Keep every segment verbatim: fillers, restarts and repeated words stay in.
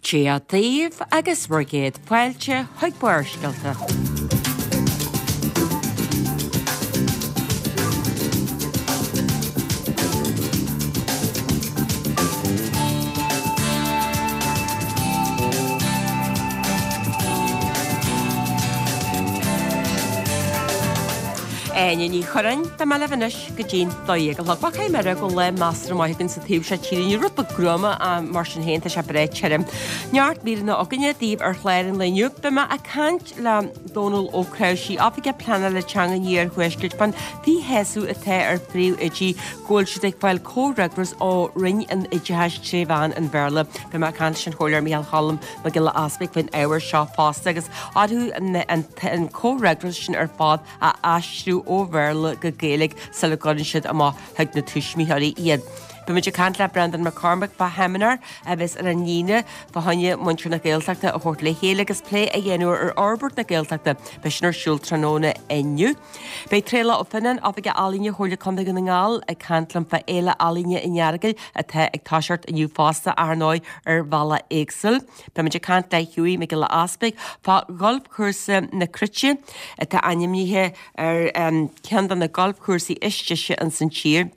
Dia daoibh agus bhur gcéad fáilte chuig Barrscéalta. Áine Ní Churráin, Beidh mé libh anois go dtí'n dó dhéag a chlog. Bhuel caithfidh mé a rá go bhfuil lá measartha maith againn sa taobh seo tíre. Inniu, rud beag gruama ach mar sin féin tá sé breá tirim. Neart míreanna againne daoibh ar chlár an lae inniu. Beidh mé ag caint le Dónal Ó Cnáimhsí, Oifigeach Pleanála Teanga an Iarthuaiscirt, fán mhíshásamh atá ar phríomhoidí go bhfuil siad ag fáil comhfhreagras ó Roinn an Oideachais tré mheán an Bhéarla. Beidh mé ag caint leis an Chomhairleoir Micheál Cholm Mac Giolla Easpaig faoin ábhar seo fosta agus orthu an comhfhreagras sin ar fad a aistriú ó Bhéarla go Gaeilge sula gcuireann siad amach chuig na tuismitheoirí iad. Beimid ag caint le Breandán Mac Cormaic fá sheimineár a bheas ar an Aoine fá choinne muintir na Gaeltachta a thabhairt le chéile agus plé a dhéanamh ar fhorbairt na Gaeltachta. Beidh sin ar siúl tráthnóna inniu. Beidh Traolach Ó Fionnáin, Oifigeach Ealaíne Chomhairle Contae Dhún na nGall, ag caint liom fá Fhéile Ealaíne an Earagail atá ag toiseacht inniu fosta, ar ndóigh, ar bhealach éagsúil. Beimid ag caint le Hughie Mac Giolla Easpaig fá gholfchúrsa na Cruite atá ainmnithe ar ceann de na galfchúrsaí is deise ins an tír.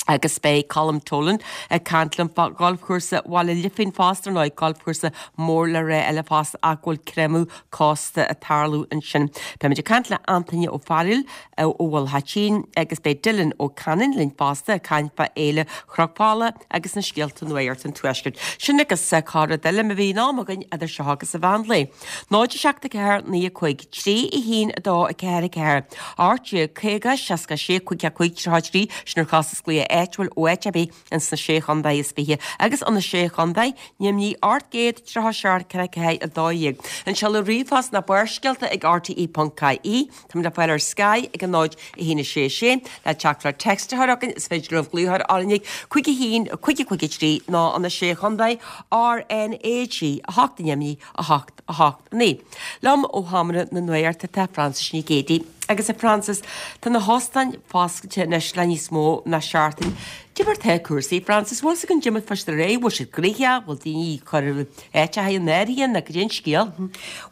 Agus beidh Colm Tolan ag caint liom fá gholfchúrsa Bhaile Lifín fosta, ar ndóigh, galfchúrsa mór le rá eile fosta ach go bhfuil creimeadh cósta ag tarlú ansin. Beimid ag caint le Antaine Ó Fearghail ó Bhaile Choitín agus beidh Dylan Ó Canainn linn fosta ag caint fá Fhéile Chnoc Fola agus na scéalta nuachta an Tuaiscirt. Sin agus corr-rud eile má bhíonn am againn idir seo agus an mheán lae. Náid a seacht a ceathair naoi a cúig trí a haon a dó a ceathair a ceathair ocht déag caoga seasca a sé cúig a cúig tríocha a trí sin ar chostas glaoch áitiúil ó áit ar bith ins na Sé Chontae is Fiche agus ó na Sé Chontae Nimhní ocht gcéad tríocha seacht ceathair ceathair a dó dhéag. An seoladh ríomhphost ná Barrscéalta ag rte ponc ie. Táimid le fáil ar Sky ag a náid a haon a sé sé. Le teachtaireacht téacs a chur chugainn is féidir libh glaoch orainn ag cúig a haon cúig a cúig a trí nó ó na Sé Chontae R N A G a hocht neamhní a hocht a hocht naoi. Liom ó Sheomra na Nuachta tá Frances Ní Ghéidigh. Agus a Frances, tá na hóstáin foscailte anois le níos mó ná seachtain. Cad é mar tá cúrsaí, Frances, bhfuil fhios againn cad é mar atá ar aghaidh, bhfuil siad gnoitheach, bhfuil daoine ag cur áiteacha in áirithe nó cad é an scéal?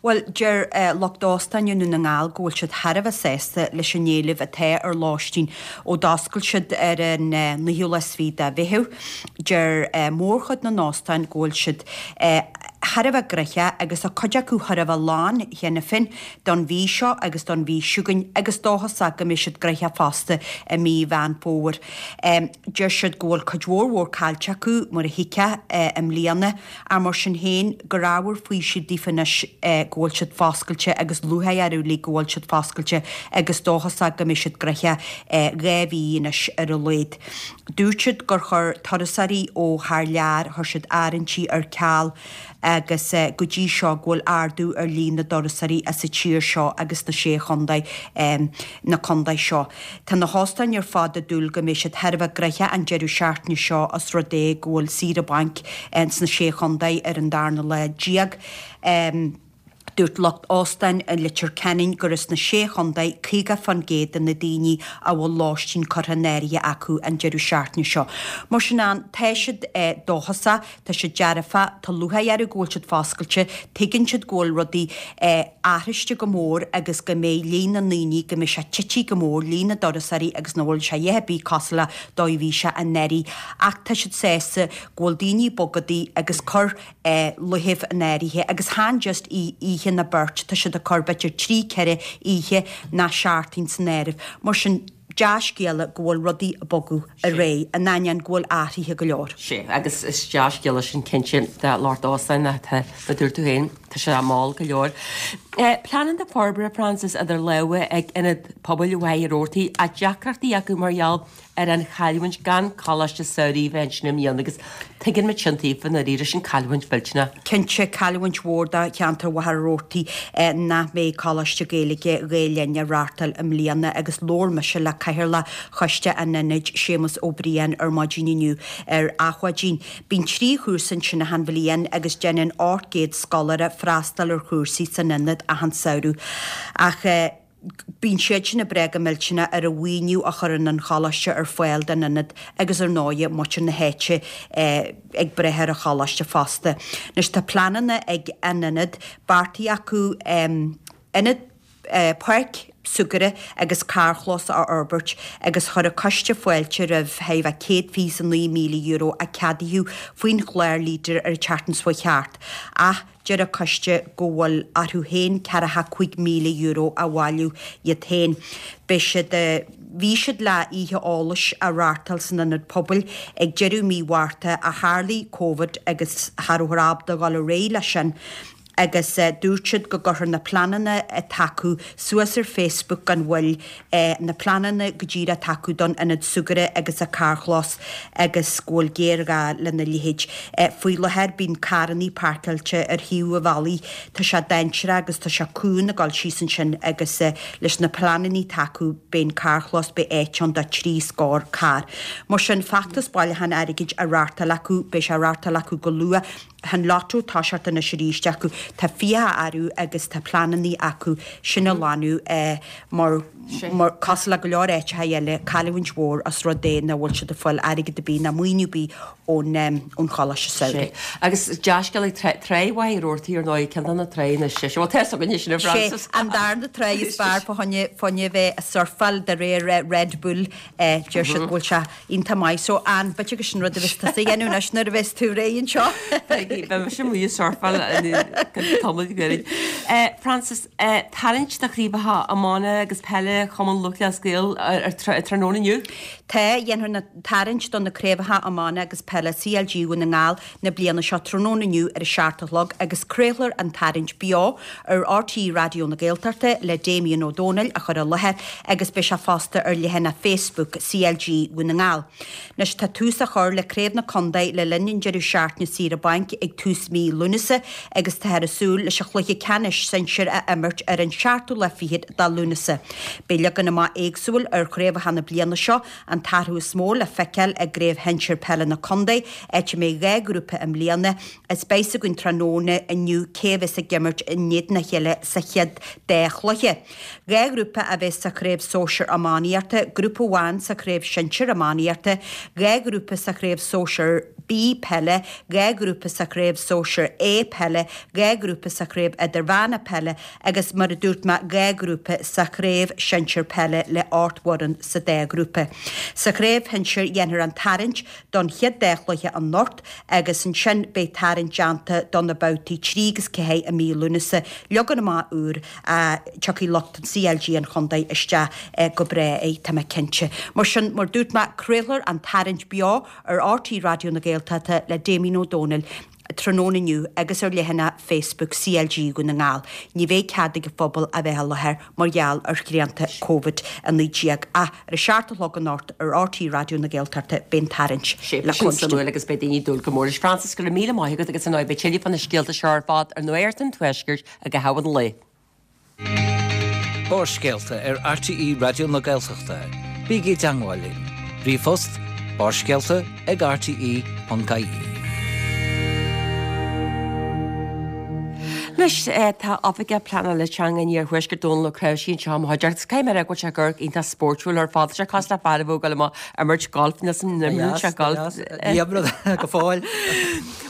Bhuel, deir lucht óstáin i nDún na nGall go bhfuil siad thar a bheith sásta leis an éileamh atá ar lóistín ó d'oscail siad ar an naoú lá is fiche de Mheitheamh. Deir mórchuid na n-óstán go bhfuil siad thar a bheith gnoitheach agus tá cuid acu thar a bheith lán cheana féin don mhí seo agus don mhí seo chugainn agus dóchasach go mbeidh siad gnoitheach fosta i mí Mheán Fómhair. Deir siad go bhfuil cuid mhór mhór caillte acu mar a thuigfeá i mbliana ach mar sin féin gur ábhar faoisimh daofa anois go bhfuil siad foscailte agus lúcháir orthu uilig go bhfuil siad foscailte agus dóchasach go mbeidh siad gnoitheach dhá mhí anois ar a laghad. Dúirt siad gur chuir turasóirí ó thar lear, chuir siad áirithintí ar ceal agus go dtí seo go bhfuil ardú ar líon na dturasóirí as an tír seo agus na sé chontae na contae seo. Tá na hóstáin ar fad ag dúil go mbeidh siad thar a bheith gnoitheach an deireadh seachtaine seo os rud é go bhfuil saoire bainc sna sé chontae ar an darna lá déag. Dúirt lucht óstáin i Leitir Ceanainn gur as na Sé Chontae caoga fán gcéad de na daoine a bhfuil lóistín curtha in áirithe acu an deireadh seachtaine seo. Mar sin ann, tá siad dóchasach, tá siad dearfach, tá lúcháir orthu go bhfuil siad foscailte, tuigeann siad go bhfuil rudaí athraithe go mór agus go mbeidh líon na ndaoine, go mbeidh sé tite go mór, líon na dturasóirí agus nach bhfuil sé a dhath ar bith cosúil le dóigh a bhí sé anuraidh. Ach tá siad sásta go bhfuil daoine ag bogadh agus cur luichibh in áirithe agus chan just oíche ná beirt, tá siad ag cur b'fhéidir trí, ceithre oíche ná seachtain san áireamh. Mar sin, dea-scéala go bhfuil rudaí ag bogadh ar aghaidh, in ainneoin go bhfuil athruithe go leor. Sea, agus is dea-scéala sin cinnte do lucht óstáin atá, mar a dúirt tú féin, tá sé mall go leor. Pleananna forbartha, Frances, idir lámha ag Ionad Pobail Mhachaire Rabhartaigh, ach deacrachtaí acu mar gheall ar an chailliúint gan coláiste samhraidh a bheith ansin i mbliana agus tuigeann muid sin daofa i ndáiríre, sin cailliúint mhillteanach. Cinnte, cailliúint mhór do cheantar Mhachaire Rabhartaigh nach mbeidh Coláiste Gaeilge Ghael Linn á reáchtáil i mbliana agus labhair mise le Cathaoirleach Choiste an Ionaid, Séamus Ó Briain ar maidin inniu ar Adhmhaidin. Bíonn trí chúrsa ansin achan bhliain agus déanann ocht gcéad scoláire freastal ar chúrsaí san ionad achan samhradh ach. Bíonn siad sin ag brath go millteanach ar an mhaoiniú a chuireann an choláiste ar fáil don ionad agus ar ndóighe muintir na háite ag brath ar an choláiste fosta. Anois tá pleananna ag an ionad, beartaithe acu ionad, páirc súgartha agus carrchlós a fhorbairt agus chuir an coiste fáilte roimh thar a bheith céad fiche is a naoi míle euro a ceadaíodh faoin chlár Leader ar an tseachtain seo chuaigh thart ach deir an coiste go bhfuil orthu féin ceathracha cúig míle euro a bhailiú iad féin. Beidh siad Bhí siad le oíche eolais a reáchtáil san Ionad Pobail ag deireadh mí Mhárta ach tharlaigh Covid agus cha rabhthar ábalta dul ar aghaidh leis sin. agus dúirt siad go gcuirfear na pleananna atá acu suas ar Facebook gan mhoill, na pleananna go díreach atá acu don ionad súgartha agus an carrchlós agus go bhfuil géarghá lena leithéid. Faoi láthair bíonn carrannaí páirceáilte ar thaobh an bhealaigh, tá sé dainséarach agus tá sé cúng ag dul síos ansin agus leis na pleananna atá acu beidh an carrchlós, beidh áit ann do trí scór carr. Mar sin, feachtas bailiúcháin airgid á reáchtáil acu, beidh sé á reáchtáil acu go luath. Tá an lotto ag toiseacht anois arís acu. Tá fiacha orthu agus tá pleananna acu sin a lánú mar, mar, cosúil le go leor áiteacha eile, cailliúint mhór os rud é nach bhfuil siad ag fáil airgead ar bith ná maoiniú ar bith ón, ón Choláiste Samhraidh. Agus dea-scéal ag Trá Mhachaire Rabhartaigh ar ndóigh, ceann de na tránna is deise. Bhuel, tá a fhios againne sin, a Frances. Sé an darna trá is fearr fá choinne, fá choinne bheith ag surfáil de réir Red Bull. Deir siad go bhfuil sé iontach maith. So, Ann, b'fhéidir gur sin rud a bheas tusa a dhéanamh anois nuair a bheas tú réidh anseo. Beidh mise amuigh ag surfáil tamall gairid. Frances, tarraingt do chraobhacha iomána agus peile Chumann Lúthchleas Gael ar tráthnóna inniu? Tá, dhéanfar na tarraingt do na craobhacha iomána agus peile CLG Dhún na nGall na bliana seo tráthnóna inniu ar a seacht a chlog agus craolfar an tarraingt beo ar RTÉ Raidió na Gaeltachta le Damien Ó Dónaill a chur i láthair agus beidh sé fosta ar leathanach Facebook CLG Dhún na nGall. Anois tá tús á chur le Craobh na Condae le linn an deireadh seachtaine saoire bainc ag tús mí Lúnasa agus táthar ag súil leis an chluiche ceannais sinsir a imirt ar an seachtú lá fichead de Lúnasa. Beidh leagan amach éagsúil ar chraobhacha na bliana seo, an t-athrú is mó le feiceáil i gCraobh Shinsir Peile na Condae, áit a mbeidh dhá ghrúpa i mbliana, is beidh 's againn tráthnóna inniu cé a bheas ag imirt in éadan a chéile sa chéad dá chluiche. Dhá ghrúpa a bheas sa chraobh sóisir iománaíochta, grúpa amháin sa chraobh sinsir iománaíochta, dhá ghrúpa sa chraobh sóisir B peile, dhá ghrúpa sa chraobh sóisir A peile, dhá ghrúpa sa chraobh idirmheánach peile agus mar a dúirt mé dhá ghrúpa sa chraobh sinsir peile le ocht bhfoireann sa dá ghrúpa. Sa chraobh shinsir dhéanfar an tarraingt don chéad dá chluiche anocht agus ansin beidh tarraingt déanta do na babhtaí trí agus ceathair i mí Lúnasa, leagan amach úr a tiocfaidh lucht an CLG an chontae isteach go breá air, tá mé cinnte. Mar sin, mar dúirt mé, craolfar an tarraingt beo ar RTÉ Raidió na Gaeltachta le Damien Ó Dónaill tráthnóna inniu agus ar leathanach Facebook CLG Dhún na nGall. Ní bheidh cead ag an phobal a bheith i láthair mar gheall ar shrianta Covid a naoi déag ach ar a seacht a chlog anocht ar RTÉ Raidió na Gaeltachta beidh an tarraingt Sé le sin cluinstin. suimiúil agus beidh daoine ag dúil go mór leis. Frances, go raibh míle maith agat agus ar ndóigh beidh tuilleadh fá na scéalta seo ar fad ar Nuacht an Tuaiscirt ag a haon an lae. Barrscéalta ar RTÉ Raidió na Gaeltachta. Bígí i dteagmháil linn. Ríomhphost, barrscéalta ag rte ponc ie. Anois, tá Oifigeach Pleanála Teanga an Iarthuaiscirt Dónal Ó Cnáimhsí anseo i mo chuideachta. Caithfidh mé a rá go bhfuil sé ag amharc iontach spóirtiúil ar fad. Tá sé cosúil le fear a bheadh ag dul amach ag imirt golf níl san imríonn sé golf. Ní imrím go fóill.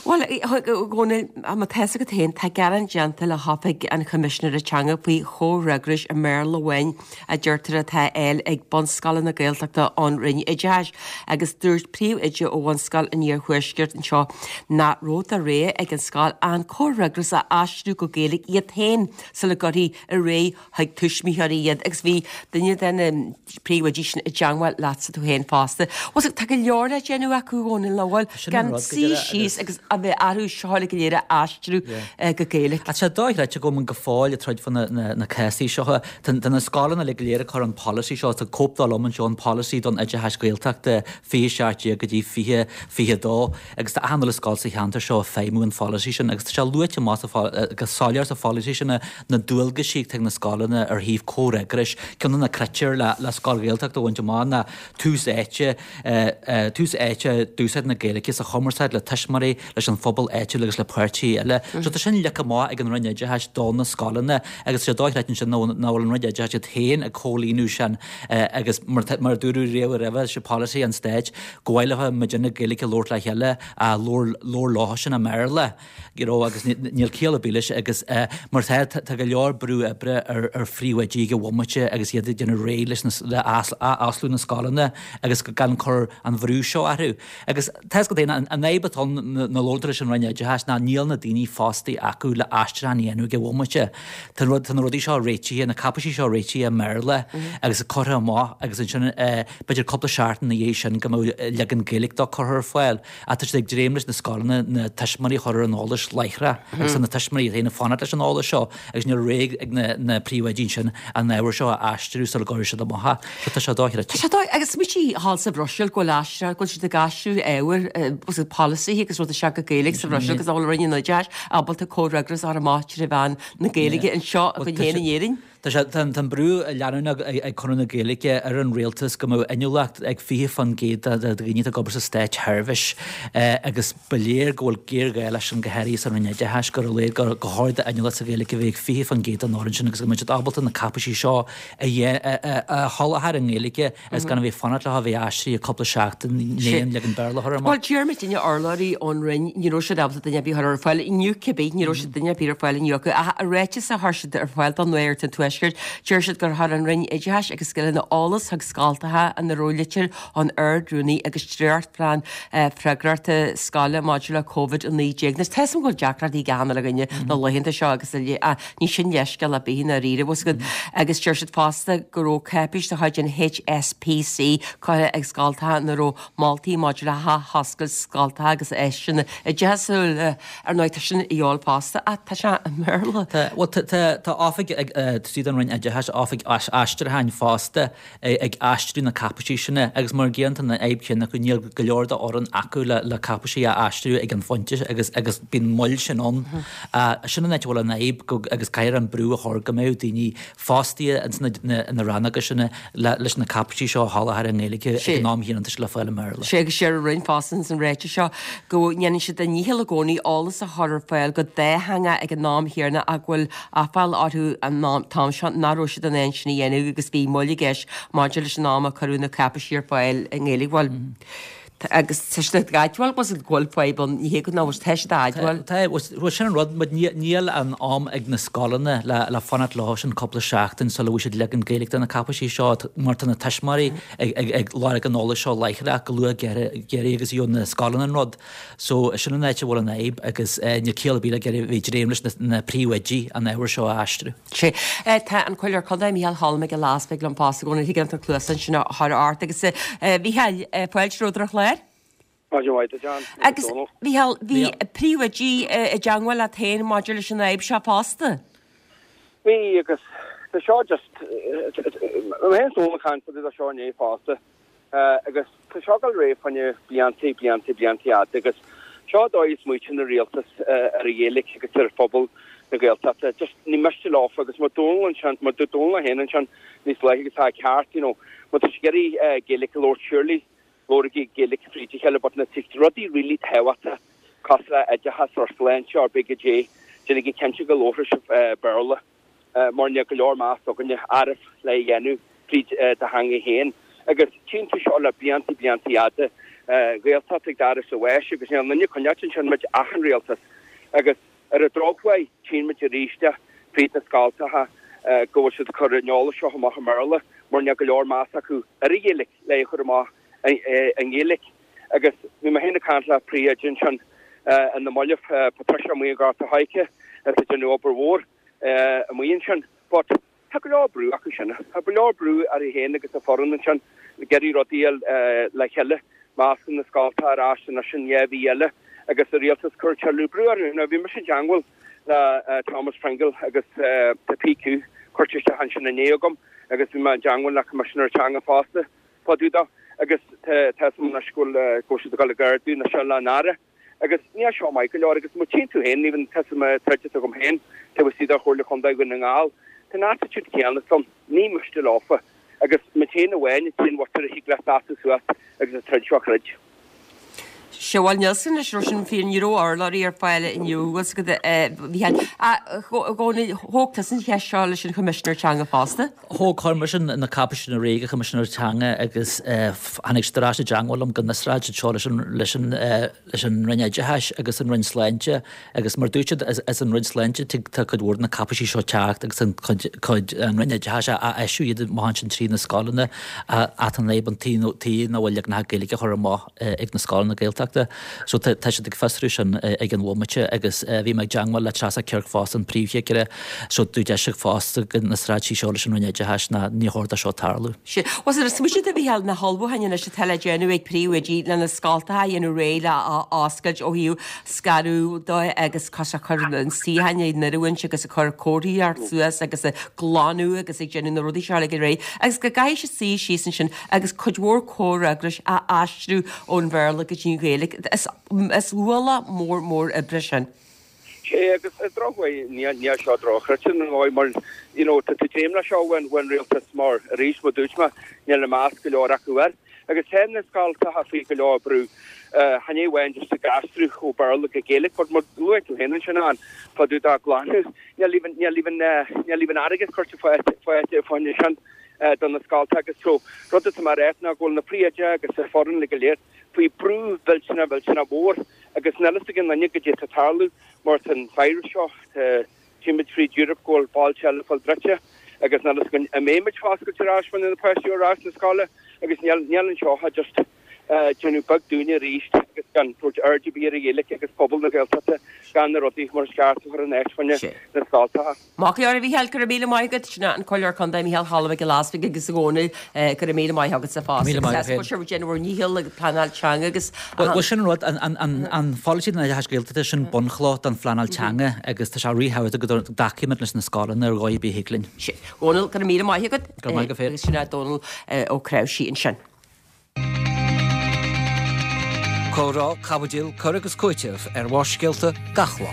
Bhuel, a Dhónaill, má tá fhios agat féin, tá gearán déanta le hOifig an Choimisinéara Teanga faoi chomhfhreagrais i mBéarla amháin a deirtear atá á fháil ag bunscoileanna Gaeltachta ón Roinn Oideachais agus dúirt príomhoide ó bhunscoil an Iarthuaiscirt anseo nach raibh de rogha ag an scoil an comhfhreagras a aistriú go Gaeilge iad féin sula gcuirfí ar aghaidh chuig tuismitheoirí iad agus bhí duine de na príomhoidí sin i dteangmháil leatsa tú féin fosta. Bhuel, tá go leor le déanamh acu, a Dhónaill, nach bhfuil? Sin an Gan rud, go suí deireadh síos agus. agus a bheith orthu seo uilig go léir a aistriú go Gaeilge. Tá sé dochreidte go bhfuil go fóill ag troid fá na, na, na cásaí seo. Tá, tá na scoileanna uilig go léir ag cur an polasaí seo, tá cóip dó liom anseo, an polasaí don oideachas Gaeltachta fiche seacht déag go dtí fiche fiche dó agus tá achan uile scoil sa cheantar seo ag feidhmiú an pholasaí sin agus tá sé luaite amach sa soiléir sa pholasaí sin na na dualgaisí atá ag na scoileanna ar thaobh comhfhreagrais. Ceann de na critéir le le scoil Ghaeltachta a bhaint amach ná tús áite tús áite d'úsáid na Gaeilge sa chumarsáid le tuismitheoirí, leis an phobal áitiúil agus le páirtithe eile. So tá sin leagtha amach ag an Roinn Oideachais do na scoileanna agus sé dochreidte ansin nach bhfuil an Roinn Oideachais iad féin ag comhlíonadh sin agus mar mar a dúradh riamh roimhe, sé polasaí an stáit go mhaith leo muidinne Gaeilge a labhairt le chéile ach labhair labhair leo sin i mBéarla you know agus níl ciall ar bith leis agus mar tá tá go leor brú oibre ar ar phríomhoidí ag an bhomaite agus iad ag déanamh réidh leis na le athosclú na scoileanna agus gan cur an bhrú seo orthu. Agus tá 'fhios agat féin an fhadhb atá ann nuair a labhrann tú leis an Roinn Oideachais ná níl na daoine fostaithe acu le aistriúchán a dhéanamh ag an bhomaite. Tá rud tá na rudaí seo réitithe, na cáipéisí seo réitithe i mBéarla agus curtha amach agus ansin b'fhéidir cúpla seachtain ina dhiaidh sin go mbeadh leagan Gaeilge dó curtha ar fáil. Ach tá siad ag dréim leis na scoileanna na tuismitheoirí a chur ar an eolas láithreach agus tá na tuismitheoirí iad féin ag fanacht leis an eolas seo agus níl réidh ag na na príomhoidí ansin an ábhar seo a aistriú sula gcuirfidh siad amach é. So tá sé dochreidte. Tá sé dóigh agus smaointigh thall sa Bhruiséil go bhfuil aistriú go bhfuil siad ag aistriú ábhair uh, polasaithe agus rudaí go Gaeilge sa Bhruiséil agus nach bhfuil Roinn an Oideachais ábalta comhfhreagras a chur amach trí mheán na Gaeilge anseo againn féin in Éirinn. Tá sé tá an brú leanúnach ag Conradh na Gaeilge ar an rialtas go mbeadh inniúlacht ag fiche faoin gcéad de dhaoine atá ag obair sa státseirbhís agus ba léir go bhfuil géarghá leis sin go háirithe sa Roinn Oideachais gur léir gur go háirithe inniúlacht sa Ghaeilge a bheith ag fiche faoin gcéad den fhoireann sin agus go mbeidh siad ábalta na cáipéisí seo a sholáthar i nGaeilge agus gan a bheith fanacht leo a bheith aistrithe cúpla seachtain i ndiaidh leagan Béarla a chur amach. Bhuel deir muidinne urlabhraí ón Roinn ní raibh siad ábalta duine ar bith a chur ar fáil inniu cibé ní raibh siad duine ar bith ar fáil inniu acu ach i ráiteas a chuir siad ar fáil don Nuacht an Tuaiscirt deir siad gur chuir an Roinn Oideachais agus Scileanna eolas chuig scoltacha ina raibh litir ón Ard-Rúnaí agus dréachtphlean freagrachta scoile maidir le Covid a naoi déag. Anois tá 'fhios a'm go bhfuil deacrachtaí ag achan uile dhuine na laethanta seo agus ní sin leithscéal ar bith i ndáiríre bhfuil 'fhios agat agus deir siad fosta go raibh cáipéis de chuid an HSPC curtha ag scoltacha ina raibh moltaí maidir le hathoscailt scoltacha agus áiseanna oideachasúla ar ndóigh tá sin a dhíobháil fosta ach tá sé i mBéarla. Tá bhuel tá tá tá oifig ag tríd an Roinn Oideachais oifig aistriúcháin fosta ag aistriú na cáipéisí sin agus mar gcéanna tá an fhadhb chéanna acu níl go leor d'fhoireann acu le le cáipéisí a aistriú ag an phointe agus agus bíonn moill sin ann. Sin an áit a bhfuil an fhadhb go agus caithfear an brú a chur go mbeadh daoine fostaithe ins na na rannóga sin le leis na cáipéisí seo a sholáthar i nGaeilge ag an am chéanna atá sé le fáil i mBéarla. Sé agus deir an Roinn fosta ins an ráiteas seo go ndéanann siad a ndícheall i gcónaí eolas a chur ar fáil go dátheangach ag an am chéanna ach go bhfuil aiféala orthu an t-am seo nach raibh siad in ann sin a dhéanamh agus bhí moill i gceist maidir leis an am a cuireadh na cáipéisí ar fáil i nGaeilge. Bhuel, agus tá siad ag admháil go bhfuil fadhb ann, ní hé go nach bhfuil, tá siad ag admháil. Tá, bhuel sin an rud, but níl an am ag na scoileanna le le fanacht leo sin cúpla seachtain sula bhfuil siad leagan Gaeilge de na cáipéisí seo mar tá na tuismitheoirí ag ag ag lorg an eolais seo láithreach go luath géirí agus gheobhaidh na scoileanna an rud. So sin an áit a bhfuil an fhadhb agus níl ciall ar bith le ag iarraidh bheith dréim leis na príomhoidí an ábhar seo a aistriú. Sé. Tá an Comhairleoir Contae Mícheál Cholm Mac Giolla Easbuig liom fosta i gcónaí thig an cluasán sin a chur ort agus a Mhícheáil, fáilte romhat ar an chlár. Maidin mhaith duit, John. Agus Mhícheál, bhí príomhoidí i dteangmháil leat féin maidir leis an fhadhb seo fosta. Bhí agus tá seo just mé féin is Dónal ag caint fá dtaobh de seo inné fosta. Agus tá seo ag dul ar aghaidh fá choinne blianta, blianta, blianta fhada agus seo an dóigh a smaoitíonn an rialtas ar an Ghaeilge agus ar phobal na Gaeltachta. Just ní miste leofa agus mar Dónal ansin, mar dúirt Dónal é féin ansin níos luaithe agus tá a ceart, you know, má tá sibh ag iarraidh Gaeilge a labhairt surely labhraigí Gaeilge fríd a chéile but na rudaí really tábhachtach cosúil le oideachas or sláinte or big J, déanaigí cinnte go labhróidh sibh Béarla. mar níl go leor meas againne oraibh le é a dhéanamh fríd do theanga féin. Agus tchíonn tú seo le blianta, blianta fhada, Gaeltacht ag doras an bháis agus níl aon duine ag coinneáilt ansin muid ach an rialtas. Agus ar an drochuair tchíonn muid arís fríd na scoltacha go bhfuil siad ag cur an eolas seo amach i mBéarla mar níl go leor meas acu ar an Ghaeilge le é a chur amach i nGaeilge. Agus bhí mé féin ag caint le príomhoide ansin i na Mallaibh, Patricia amuigh i nGort a' Choirce, atá ag déanamh obair mhór. amuigh ansin. But tá go leor brú acu sin. Tá go leor brú uirthi féin agus a foireann ansin ag iarraidh rudaí a fháil le chéile. Má osclaíonn na scoltacha ar ais anois in dhá mhí eile agus an rialtas ag cur tuilleadh brú orthu. Now bhí mise i dteangmháil le Thomas Pringle agus tá PQ curtha isteach ansin inné agam agus bhí mé i dteangmháil le Coimisinéir Teanga fosta fá dtaobh dó agus tá tá 'fhios a'm anois go bhfuil go bhfuil siad ag dul ag ardú anois le an Aire. Agus níl seo maith go leor agus má tchíonn tú féin, even tá 'fhios a'm troid agam féin taobh istigh de Chomhairle Contae Dhún na nGall. Tá an attitude céanna ann, ní miste leofa agus muid féin amháin an t-aon mhuintir a thig le seasamh suas agus an troid seo a throid. Sea, bhuel, níl san leis sin fíor, ní raibh urlabhraí ar fáil inniu, bhfuil 's agat, a Mhícheáil. A Dhónaill, thóg tusa an cheist seo leis an Choimisinéir Teanga fosta? Thóg, chuir mise na cáipéisí sin ar aghaidh ag an Choimisinéir Teanga agus tháinig siad ar ais i dteangmháil liom go n-fhiosródh siad seo leis an, leis an, leis an Roinn Oideachais agus an Roinn Sláinte agus mar dúirt siad is, is an Roinn Sláinte tig, tá cuid mhór de na cáipéisí seo teacht agus an cuid, cuid, an Roinn Oideachais a, a eisiú iad amach ansin trí na scoileanna ach an fhadhb an taobh, taobh nach bhfuil leaganacha Gaeilge á chur amach ag na scoileanna Gaeltachta. So tá, tá siad ag fiosrú sin ag an bhomaite agus bhí mé ag teangmháil le Treasa Kirk fosta, an príomhchigire, so dúirt ise fosta go n-fhiosródh sí seo leis an Roinn Oideachais ná ní chóir do seo tarlú. Sea. Bhuel, is smaointe a Mhícheáil na hullmhúcháin anois atá le déanamh ag príomhoidí le na scoltacha a dhéanamh réidh le oscailt ó thaobh scaradh de agus cos a chur an suíocháin in oiriúint agus ag cur comharthaíocht suas agus ag glanadh agus ag déanamh na rudaí seo uilig réidh agus go gcaithfidh siad suí síos ansin agus cuid mhór comhfhreagrais a aistriú ón Bhéarla go dtí an Ghaeilge. Is is ualach mór mór oibre sin. Sé agus ar drochuair níl níl seo drochchreidte ar ndóigh mar you know tá tú dréim leis seo ón ón rialtas mar arís mar dúirt mé níl a meas go leor acu air agus tá na scoltacha faoi go leor brú chan é amháin just ag aistriú ó Béarla go Gaeilge but mar luaigh tú féin ansin an fá dtaobh de glanadh níl even níl even níl even airgead curtha fáilte fáinne sin do na scoltacha agus so rud atá mé a rá ná go bhfuil na príomhoidí agus an foireann le go léir faoi brú mhillteanach mhillteanach mhór agus níl a fhios ag aon duine goidé atá ag tarlú mar tá an virus seo tchímid fríd Europe go bhfuil bailte eile fáil druidte agus níl a fhios againn an mbeimid fá oscailt ar ais na páistí ar ais na scoile agus níl níl anseo just déanamh beag dúinne arís agus gan tabhairt aird ar bith ar an Ghaeilge agus pobal na Gaeltachta gan na rudaí mar is ceart a chur in áit fá choinne na scoltacha. Maith go leor a Mhícheáil, go raibh míle maith agat. Sin an Comhairleoir Contae Mícheál Cholm Mac Giolla Easpaig agus a Dhónaill, go raibh míle maith agatsa fosta. Míle maith agat. Agus sibh ag déanamh bhur ndícheall ag pleanáil teanga agus. Bhuel sin an rud, an pholasaí don oideachas Gaeltachta sin bunchloch don phleanáil teanga agus tá sé ríthábhachtach go dtacaímid leis na scoileanna ar dhóigh ar bith a thig linn. Sin. Dhónaill, go raibh míle maith agat. Go raibh maith agat féin. Agus sin é Dónal Ó Creabhsí ansin. Comhrá, caibidil, cur agus cúiteamh ar Bharrscéalta gach lá.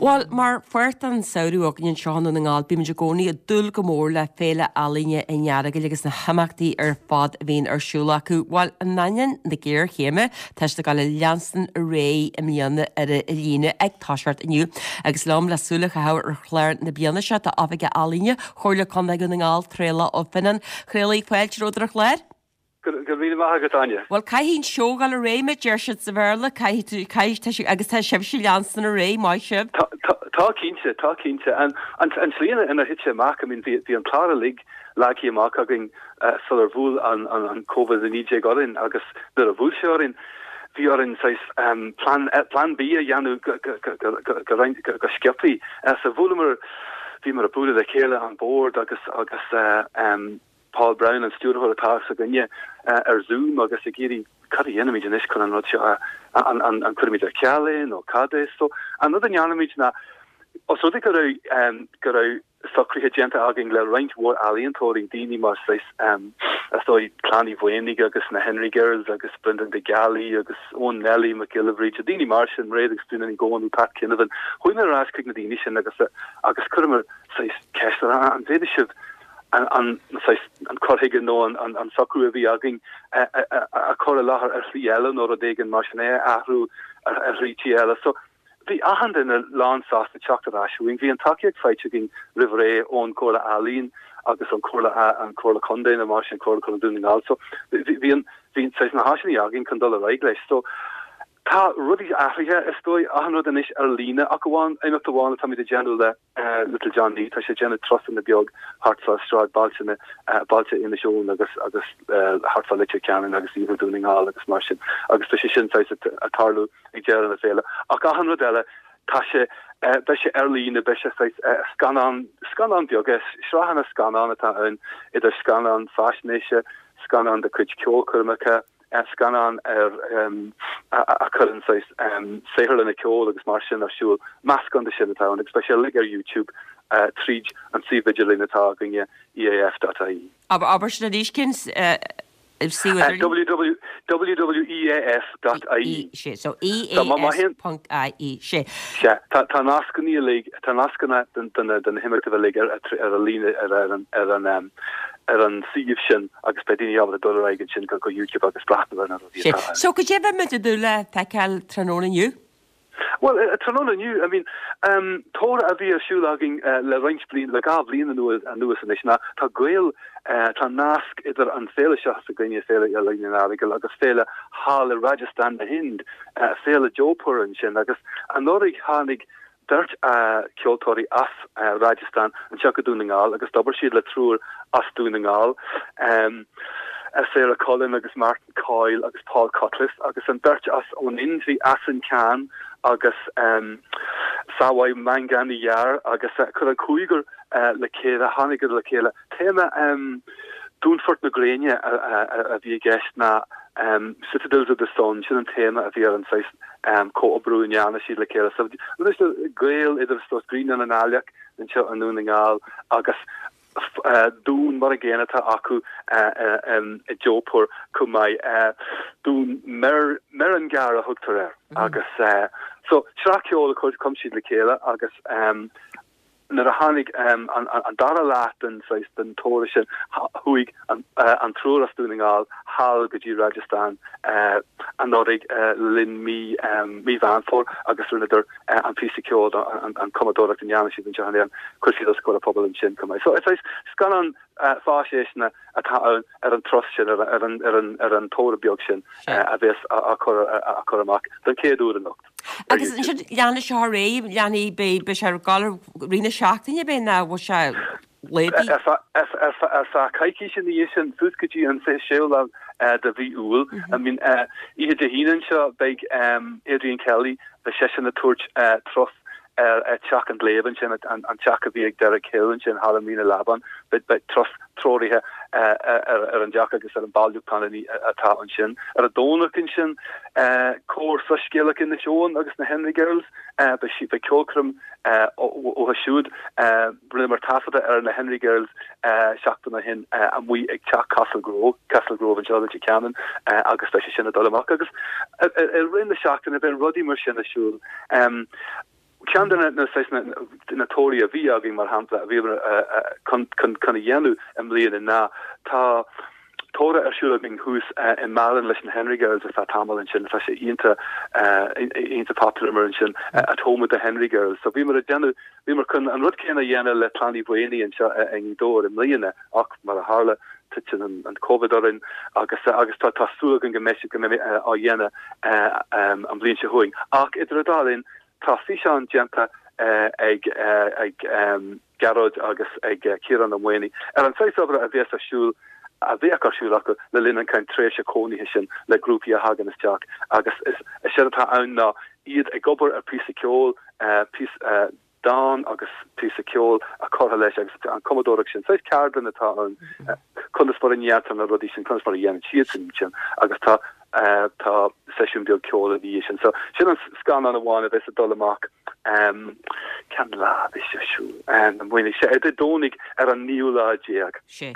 Bhuel, mar pháirt den samhradh againn anseo i nDún na nGall, bímid i gcónaí ag dúil go mór le Féile Ealaíne an Earagail agus na himeachtaí ar fad a bhíonn ar siúl acu. Bhuel, in ainneoin na géarchéime, tá siad ag dul a leanstan ar aghaidh i mbliana ar an líne ag toiseacht inniu. Agus liom le súil a chaitheamh ar chlár na bliana seo tá Oifigeach Ealaíne Chomhairle Contae Dhún na nGall, Traolach Ó Fionnáin. A Thraolaigh, fáilte romhat ar an chlár. Go raibh míle maith agat, Áine. Bhuel, caithfidh an seó dul ar aghaidh, mar a deir siad sa Bhéarla, caithfidh tú, caithfidh, tá sibh, agus tá sibhse ag leanstan ar aghaidh, maith sibh. Tá, tá, tá cinnte, tá cinnte. An, an, an tslí ina, inar thit sé amach, I mean, bhí, bhí an clár uilig leagtha amach againn sular bhuail an, an, an Covid a naoi déag orainn agus nuair a bhuail sé orainn, bhí orainn saghas plan, plan B a dhéanamh go, go, go, go, go, go roinnt, go, go sciobthaí. So bhuaileamar, bhíomar ag bualadh le chéile, an bord agus, agus, Paul Browne, an stiúrthóir atá s'againne, ar Zoom agus ag iarraidh cad a dhéanfaimid anois chun an rud seo a, an, an, an cuirfimid ar ceal é nó cad é. So, an rud a ndearnaimid ná, os rud é go raibh, go raibh socruithe déanta againn le roinnt mhór ealaíontóirí, daoine mar saghas, is dóigh, Clann Uí Mhaonaigh agus na Henry Girls agus Brendan de Gealaí agus Eoin Nelly Mac Giolla Bhríde, daoine mar sin, Mairéad agus Triona Ní Dhomhnaill, Pat Kinevane, chuamar ar ais chuig na daoine sin agus, agus chuireamar saghas ceist orthu, an bhféadfadh sibh an saghas, an cur chuige nó an socrú a bhí againn a chur i láthair ar shlí eile nó rud éigin mar sin, é a athrú ar shlí eile. So, bhí achan duine lán sásta teacht ar ais chugainn. Bhí an tacaíocht faighte againn roimh ré ón Chomhairle Ealaíon agus an Chomhairle, an Chomhairle Contae nó mar sin, Comhairle Contae Dhún na nGall. So, bhí an, bhí saghas na háiseanna againn chun dul ar aghaidh leis. So, tá rudaí athraithe, is dóigh, achan rud anois ar líne ach amháin, imeacht amháin atáimid ag déanamh le, Little John Nee, tá sé ag déanamh turasanna beag thart fá sráidbhailte na, bailte Inis Eoghain agus agus thart fá Leitir Ceanainn agus Iarthar Dhún na nGall agus mar sin agus tá sé sin saghas ag tarlú ag deireadh na féile. Ach achan rud eile, tá sé, beidh sé ar líne, beidh sé saghas scannán, scannán beaga, sraitheanna scannán atá ann, idir scannán faisnéise, scannán de chuid ceolchoirmeacha, scannán ar a chuireann saghas saotharlanna ceoil agus mar sin ar siúl, meascán de sin atá ann agus beidh sé uilig ar YouTube tríd an suíomh idirlín atá againne, EAF dot ie. Abair sin arís, cén suíomh WWEAS dot ie. Sé, so EAS ponc IE. Sé. Sea, tá tá nascanna uilig, tá nascanna den den den na himeachtaí uilig ar ar an líne ar ar an ar an um, ar an suíomh sin agus beidh daoine ábalta dul ar aghaidh ansin go go YouTube agus breathnú ar na rudaí Sé. atá ann. So goidé a bheidh muid ag dúil le feiceáil tráthnóna inniu? Bhuel, tráthnóna inniu, I mean, um, togra a bhí ar siúl againn uh, le roinnt bliain, le dhá bhliain anuas, anuas anois ná tá gaol, uh, tá nasc idir an féile seo s'againne, Féile Ealaíon an Earagail agus féile thall i Rajasthan na hInd, uh, féile Jaipur ansin agus anuraidh tháinig beirt uh, ceoltóirí as uh, Rajasthan anseo go Dún na nGall agus d'obair siad le triúr as Dún na nGall. Um, Sarah Cullen agus Martin Coyle agus Paul Cutliff agus an beirt as ón Ind bhí Asin Khan agus um, Sawai Manganiyar agus uh, chuir an cúigear uh, le chéile tháinig le chéile. Téama um, Dúnfort na Gréine a, a, a, a bhí i gceist ná um, Citadels of the Sun sin an téama a bhí ar an saghas um, comhoibriú a ndearna siad le chéile. So, gaol idir stos Grianán an Aileach anseo i nDún na nGall agus dún mar an gcéanna atá acu i Jaipur chomh maith dún Mehrangarh a thugtar air agus so sraith ceoil a chum chum siad le chéile agus nuair a tháinig an dara leath den saghas den togra sin chuaigh an triúr as Dún na nGall thall go dtí Rajasthan anuraidh le linn mí mí Mheán Fómhair agus rinneadar an píosa ceoil an cumadóireacht a ndearna siad anseo in Éirinn chuir siad os comhair an phobail ansin chomh maith. So is scannán faisnéise atá ann ar an turas sin ar an ar an ar an togra beag sin a bheas á chur á chur amach don chéad uair anocht. Agus ansin leanfaidh sé ar aghaidh leanfaidh beidh beidh sé ar gcur rith na seachtaine beidh ná bhfuil sé léi? Ar feadh coicíse ina dhiaidh sin suas go dtí an fiche séú lá de mhí Iúil. I mean oíche Dé hAoine anseo beidh Adrian Kelly beidh seisean ag tabhairt turas ar Teach an Gléib ansin an teach a bhí ag Derek Hill ansin thall i Mín an Leamháin beidh turas treoraithe ar an dteach agus ar an bailiúchán atá ansin. Ar an Domhnach ansin Cór Soiscéalach Inis Eoghain agus na Henry Girls beidh siad beidh ceolchoirm uathu siúd rinneamar taifeadadh ar na Henry Girls seachtain ó shin amuigh ag teach Castle Grove Castle Grove anseo i Leitir Ceanainn agus beidh sé sin ag dul amach agus i rith na seachtaine beidh rudaí mar sin ar siúl. Ceann de na na tograí a bhí againn mar shampla a bhí chun chun a dhéanamh i mbliana ná tá togra ar siúl againn thuas i Málainn leis na Henry Girls ar feadh tamall ansin tá sé iontach iontach popular mar ansin at home with the Henry Girls. So bhíomar ag déanamh bhíomar chun an rud céanna a dhéanamh le Clann Uí Mhaonaigh anseo i nGaoth Dobhair i mbliana ach mar a tharla titeann an an Covid orainn agus agus tá tá súil againn go mbeidh go mbeidh á dhéanamh an bhliain seo chugainn. Ach idir an dá linn tá físeán déanta ag ag Gearóid agus ag Ciarán Ó Maonaigh ar an saghas obair a bheas ar siúl a bheadh ar siúl acu le linn an kind tréimhse cónaithe sin le grúpaí a thagann isteach agus is is séard atá ann ná iad ag obair ar píosa ceoil píosa dán agus píosa ceoil a curtha leis agus an cumadóireacht sin. Saghas ceardlann atá ann conas mar a ndéantar na rudaí sin conas mar a dhéanann siad sin sin agus tá tá seisiún beag ceoil ina dhiaidh sin. So sin an scannán amháin a bheas ag dul amach cén lá a bheas sé ar siúl an bhfuil sé ar Dé Domhnaigh ar an naoú lá déag. Sé.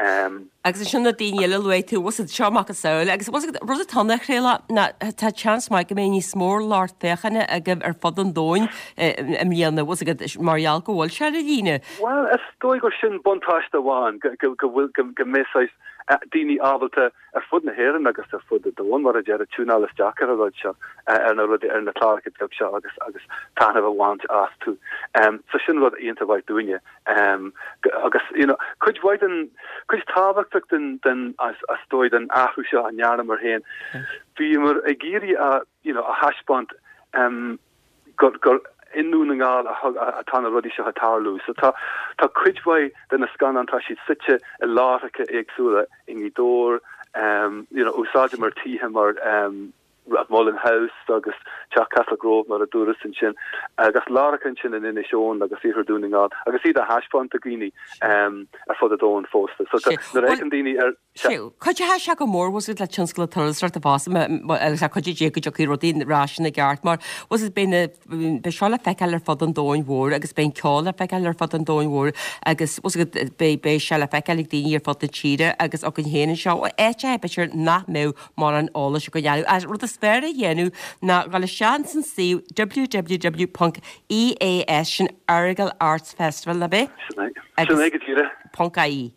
Agus ansin na daoine eile luaigh tú bhfuil seo macasamhail agus rud atá ann a Thraolach ná tá seans maith go mbeidh níos mó lucht féachana agaibh ar fud an domhain i mbliana bhfuil agat mar gheall go bhfuil sé ar líne. Well is dóigh gur sin buntáiste amháin go go bhfuil go mbeidh saghas daoine ábalta ar fud na hÉireann agus ar fud an domhain mar a déarfá tiúnáil isteach ar an rud seo ar na rudaí ar na cláracha beag seo agus agus taitneamh a bhaint astu. Um, so sin rud iontach mhaith dúinne. Um, agus you know, cuid mhaith den cuid tábhachtach den den as as dóigh den athrú seo a ndearnamar féin. Bhíomar ag iarraidh a you know, a thaispeáint um, gur gur i nDún na nGall atá na rudaí seo ag tarlú. So tá tá cuid mhaith de na scannáin tá siad suite i láithreacha éagsúla i nGaoth Dobhair, um, you know, úsáideamar tithe mar um, Mullin House agus Teach Castle Grove mar a dúras ansin agus láithreacha ansin in Inis Eoghain agus Iarthar Dhún na nGall agus iad a thaispeáint do dhaoine um, ar fud an domhain fosta. So nuair a fheiceann daoine ar Cuideoidh sé go mór was le tionscal turasóireachta fosta agus a chuid dé go dtiocfaidh rudaí ar ais ina gceart mar was it beidh beidh seo le feiceáil ar fud an domhain mhóir agus beidh ceol le feiceáil ar fud an domhain mhóir agus was beidh beidh sé le feiceáil ag daoine ar fud na tíre agus againn féin anseo áit b'fhéidir nach mbeadh mórán eolais againn air. Rud is fearr a dhéanamh ná dul isteach san suíomh www.eas sin Errigal Arts Festival na bé? Sin é go díreach. Ponc IE.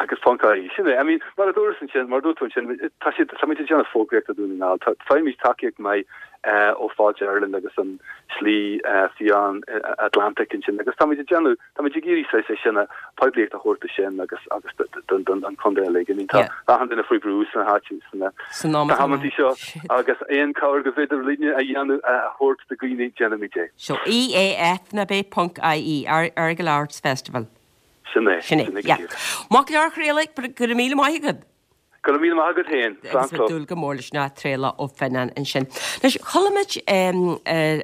agus ponc IE. Sin é. I mean, mar a dúras ansin, mar a dúirt tú ansin, tá siad tá muid ag déanamh fógraíocht do Dhún na nGall. Tá faighimid tacaíocht maith eh, ó Fáilte Ireland agus an Slí eh, Fiáin eh, Atlantic ansin agus táimid ag déanamh táimid ag iarraidh sé sin a poiblíocht a thabhairt sin agus agus don don an contae uilig. I mean, tá Yeah. achan duine faoi bhrú sna háite sna San am na atá hamantaí seo agus aon cabhair gur féidir linne a dhéanamh a thabhairt do dhaoine déanaimid é. So EAF na bé ponc IE Errigal Arts Festival. Sin é. Sin é. Sin é go Yeah. díreach. Mac leir chréile go raibh míle maith agat. Go raibh míle maith agat féin. agus dúil go mór leis na tréla ó Finan ansin. Leis chuala muid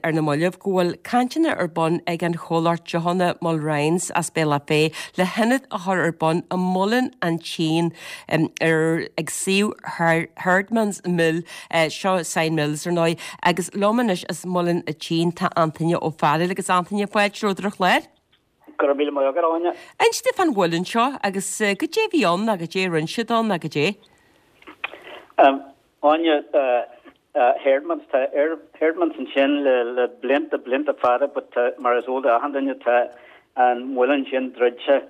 ar na mallaibh go bhfuil cainteanna ar bun ag an chomhlacht deochanna Mulryan's as Béal Féith le hionad a chur ar bun i Muileann an tSín ar ag suíomh Herdman's Mill eh, seo Sion Mills ar ndóigh agus liom anois as Muileann an tSín tá Antaine Ó Fearghail agus Antaine fáilte romhat ar an chlár. Go raibh míle maith agat Áine. Inis domh fán mhuileann seo agus eh, goidé a bhí ann agus goidé a rinne siad ann agus goidé. Um, Áine uh, uh, Herdmans tá Herdmans ansin le le blianta blianta fada, but uh, mar is eol d'achan duine tá an muileann sin druidte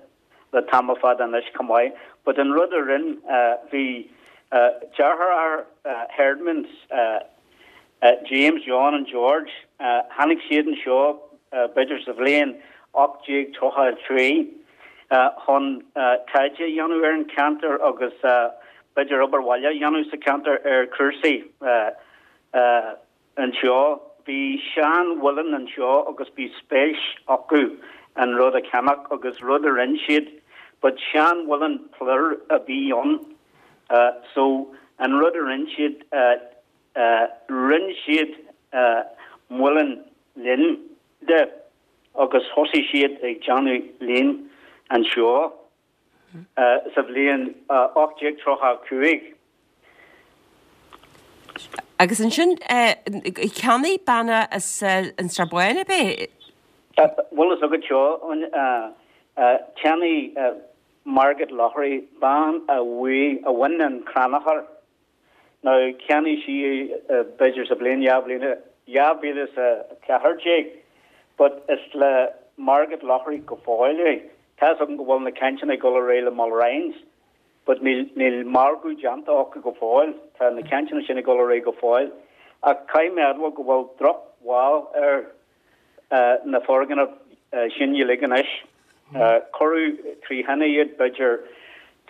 le tamall fada anois chomh maith. But an rud a rinne uh, bhí uh, deartháir uh, Herdmans uh, uh, James, John and George uh, tháinig siad anseo uh, b'fhéidir sa bhliain ocht déag tríocha trí uh, chun uh, taighde a dhéanamh ar an ceantar agus uh, b'fhéidir obair bhaile a dhéanamh sa ceantar ar chúrsaí uh, uh, anseo. Bhí seanmhuileann anseo agus bhí spéis acu an rud a cheannach agus rud a rinne siad, but seanmhuileann plúir a bhí ann. Uh, so an rud a rinne siad uh, uh, rinne siad uh, muileann lín de agus thosaigh siad ag déanamh lín anseo uh, sa bhliain uh, ocht déag tríocha cúig. Agus ansin cheannaigh bean as an Srath Bán bé? Bhfuil fhios agat seo an cheannaigh Margaret Lowry bean a bhí a bhain an crannchur. Now cheannaigh sí b'fhéidir sa bhliain dhá bhliain dhá mhíle is a ceathair déag, but is le Margaret Lowry go fóill é. Tá an go bhfuil na cainteanna ag dul ar aghaidh le Mulryans, but níl níl margadh déanta acu go fóill, tá na cainteanna sin ag dul ar aghaidh go fóill. A caiimmeadha go bhfuil drochbhail ar uh, na foirgnimh uh, sin uilig anois. Uh, Cuireadh trí thine iad b'fhéidir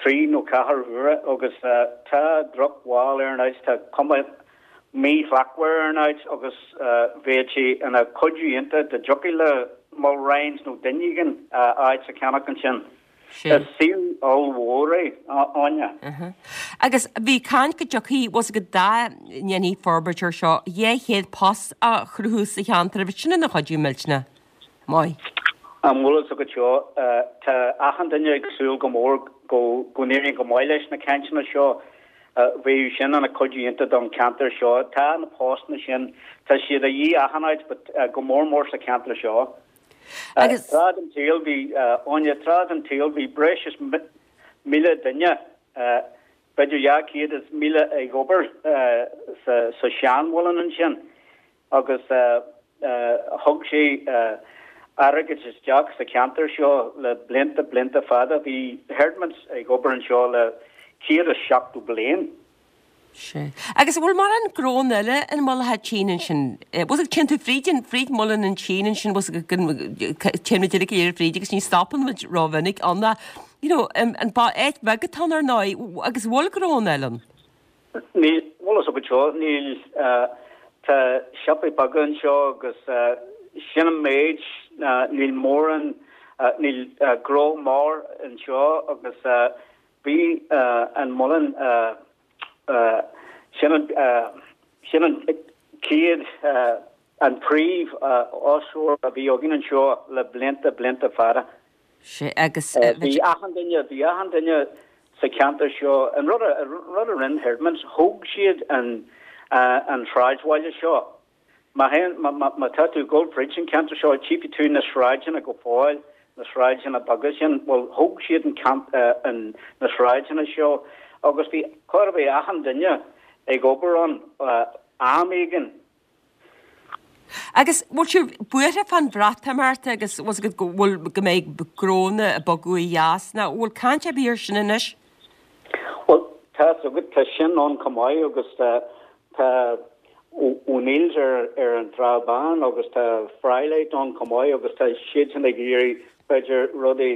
trí nó ceathair huaire agus uh, tá drochbhail ar an áit tá cuma míshlachtmhar ar an áit agus uh, bheadh sé ina chuidiú iontach dá dtiocfadh le Mulryans nó duine éigin uh, áit a cheannach ansin. Is suíomh ollmhór é Áine. Agus bhí caint go dtiocfaidh was go dá ndéanfaí forbairt air seo dhá chéad post a chruthú sa cheantar bhí sin ina chuidiú millteanach. Maith. An bhfuil fhios agat seo tá achan duine ag súil go mór go go n-éiríonn go maith leis na cainteanna seo bhí sin ina chuidiú iontach don ceantar seo tá na postanna sin tá siad a dhíth achan áit but go mór mór sa ceantar seo. Agus Tráth den tsaol bhí Áine tráth den tsaol bhí breis is míle duine b'fhéidir dhá chéad is míle ag obair sa seanmhuileann ansin agus thug sé airgead isteach sa ceantar seo le blianta blianta fada bhí Herdmans ag obair anseo le céad is seachtó bliain. Sé. Agus bhfuil mórán gnónna eile in Muileann an tSín ansin. Was ag téann tú fríd an fríd Muileann an tSín ansin was téann muid uilig ar fríd agus ní stopann muid rómhinic ann you know, an ba áit bheag atá ar ndóigh agus bhfuil gnónna eile ann. Ní bhfuil fhios agat seo níl tá siopaí beaga anseo agus sin an méid níl mórán níl gnó mór anseo agus bhí an muileann sin an Sin an chéad, an príomh fhostóir a bhí againn anseo le blianta, blianta fada. Sea, agus. Bhí achan duine, bhí achan duine sa cheantar seo, an rud a, rud a rinne Herdmans, thóg siad an, an sráidbhaile seo. Má théann, má, má, má tá tú ag dul fríd an ceantar seo, tchífidh tú na sráideanna go fóill, na sráideanna beaga sin, bhuel, thóg siad an ceant, an, na sráideanna seo agus bhí, chóir a bheith achan duine ag obair ann am éigin. Agus bhfuil sibh buartha fán Bhreatimeacht agus bhfuil fhios agat go bhfuil go mbeidh gnónna ag bogadh ó dheas nó bhfuil caint ar bith ar sin anois? Bhuel, tá fhios agat, tá sin ann chomh maith agus tá tá O'Neill's ar ar an tSráid Bhán agus tá Frylight ann chomh maith agus tá siadsan ag iarraidh b'fhéidir rudaí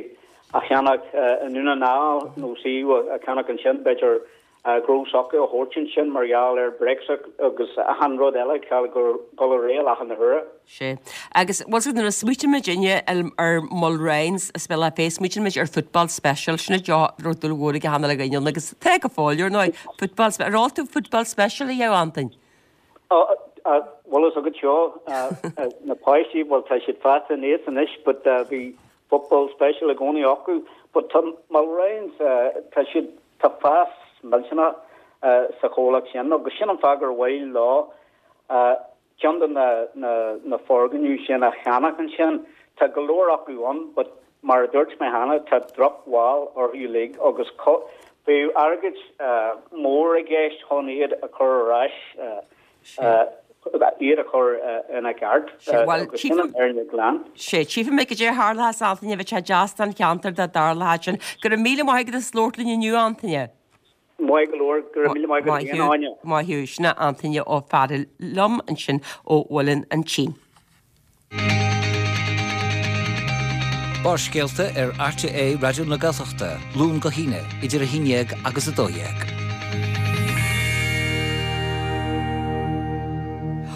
a cheannach i nDún na nGall nó suíomh a cheannach ansin b'fhéidir gnó s'acu a thabhairt ansin mar gheall ar Brexit agus achan rud eile ag dul ar aghaidh achan uair. Sea. Agus bhfuil fhios agat nuair a smaoitíonn muidinne ar Mulryans is bealach féin, smaoitíonn muid ar Football Special, sin an deo a raibh dúil mhór ag achan uile dhuine ann agus tá go fóill ar ndóigh, Football Special. Ar ól tú Football Special a Antain? Bhfuil fhios agat seo, na páistí, bhuel tá siad fásta aníos anois but bhí Football Special i gcónaí acu but tá Mulryans, tá siad, tá fás millteanach sa chomhlacht sin agus sin an fáth gur mhaith leo ceann de na foirgnimh sin a cheannach ansin. Tá go leor acu ann but mar a dúirt mé cheana tá drochbhail orthu uilig agus bheadh airgead mór i gceist chun iad a chur ar ais, iad a chur ina gceart agus sin an fhírinne ghlan. Sea, tchífidh mé goidé a tharlóchas Antaine, bheadh sé deas don cheantar dá dtarlódh sin. Go raibh míle maith agat as labhairt linn inniu, Antaine. Maith go leor, go raibh míle maith agat féin, Áine. Maith thú. Sin é Antaine Ó Fearghail liom ansin ó Mhuileann an tSín. Barrscéalta ar RTÉ Raidió na Gaeltachta, Luan go hAoine, idir a haon dhéag agus a dó dhéag.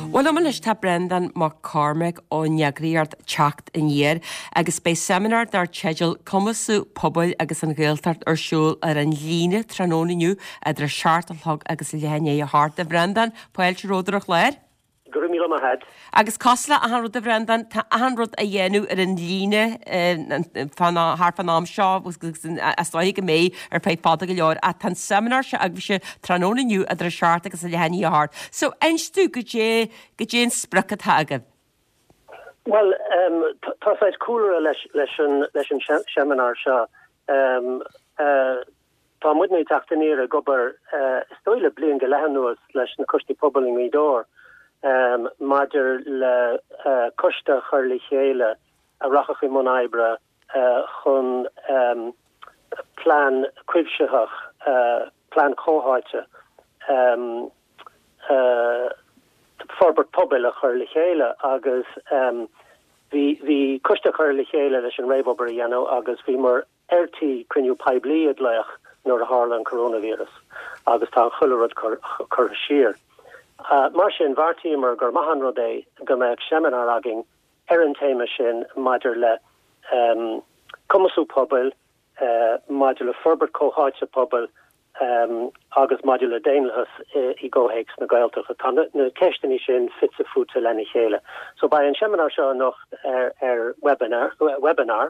Bhuel, liom anois tá Breandán Mac Cormaic ón eagraíocht Teacht Aniar agus beidh seimineár dar teideal 'Cumasú Pobail agus an Ghaeltacht' ar siúl ar an líne tráthnóna inniu idir a seacht a chlog agus leath i ndiaidh a hocht. A Bhreandáin, fáilte romhat ar an chlár. Go raibh míle maith agat. Agus cosúil le achan rud a Bhreandáin, tá achan rud á dhéanamh ar an líne thart fán am seo agus is dóiche go mbeidh ar feadh fada go leor ach tá an seimineár seo agaibhse tráthnóna inniu idir a seacht agus a leath i ndiaidh a hocht. So inis dúinn goidé, goidé an sprioc atá agaibh. Bhuel, tá saghas cúlra leis an leis an seimineár seo. Tá muidne ag Teacht Aniar ag obair is dóigh le bliain go leith anuas leis na coistí pobail i nGaoth Dobhair maidir le coiste a chur le chéile a rachadh i mbun oibre chun plean cuimsitheach, plean comhtháite forbairt pobail a chur le chéile agus bhí coiste curtha le chéile leis an réamhobair a dhéanamh agus bhíomar ar tí cruinniú poiblí a ghlaoch nuair a tharla an coróinvíreas agus tá an chuile rud curtha siar. Mar sin, bheartaíomar gur maith an rud é go mbeadh seimineár againn ar an téama sin maidir le cumasú pobail, maidir le forbairt comhtháite pobail agus maidir le daonlathas i gcomhthéacs na Gaeltachta. Tá na ceisteanna sin fite fuaite lena chéile. So beidh an seimineár seo anocht ar webinar.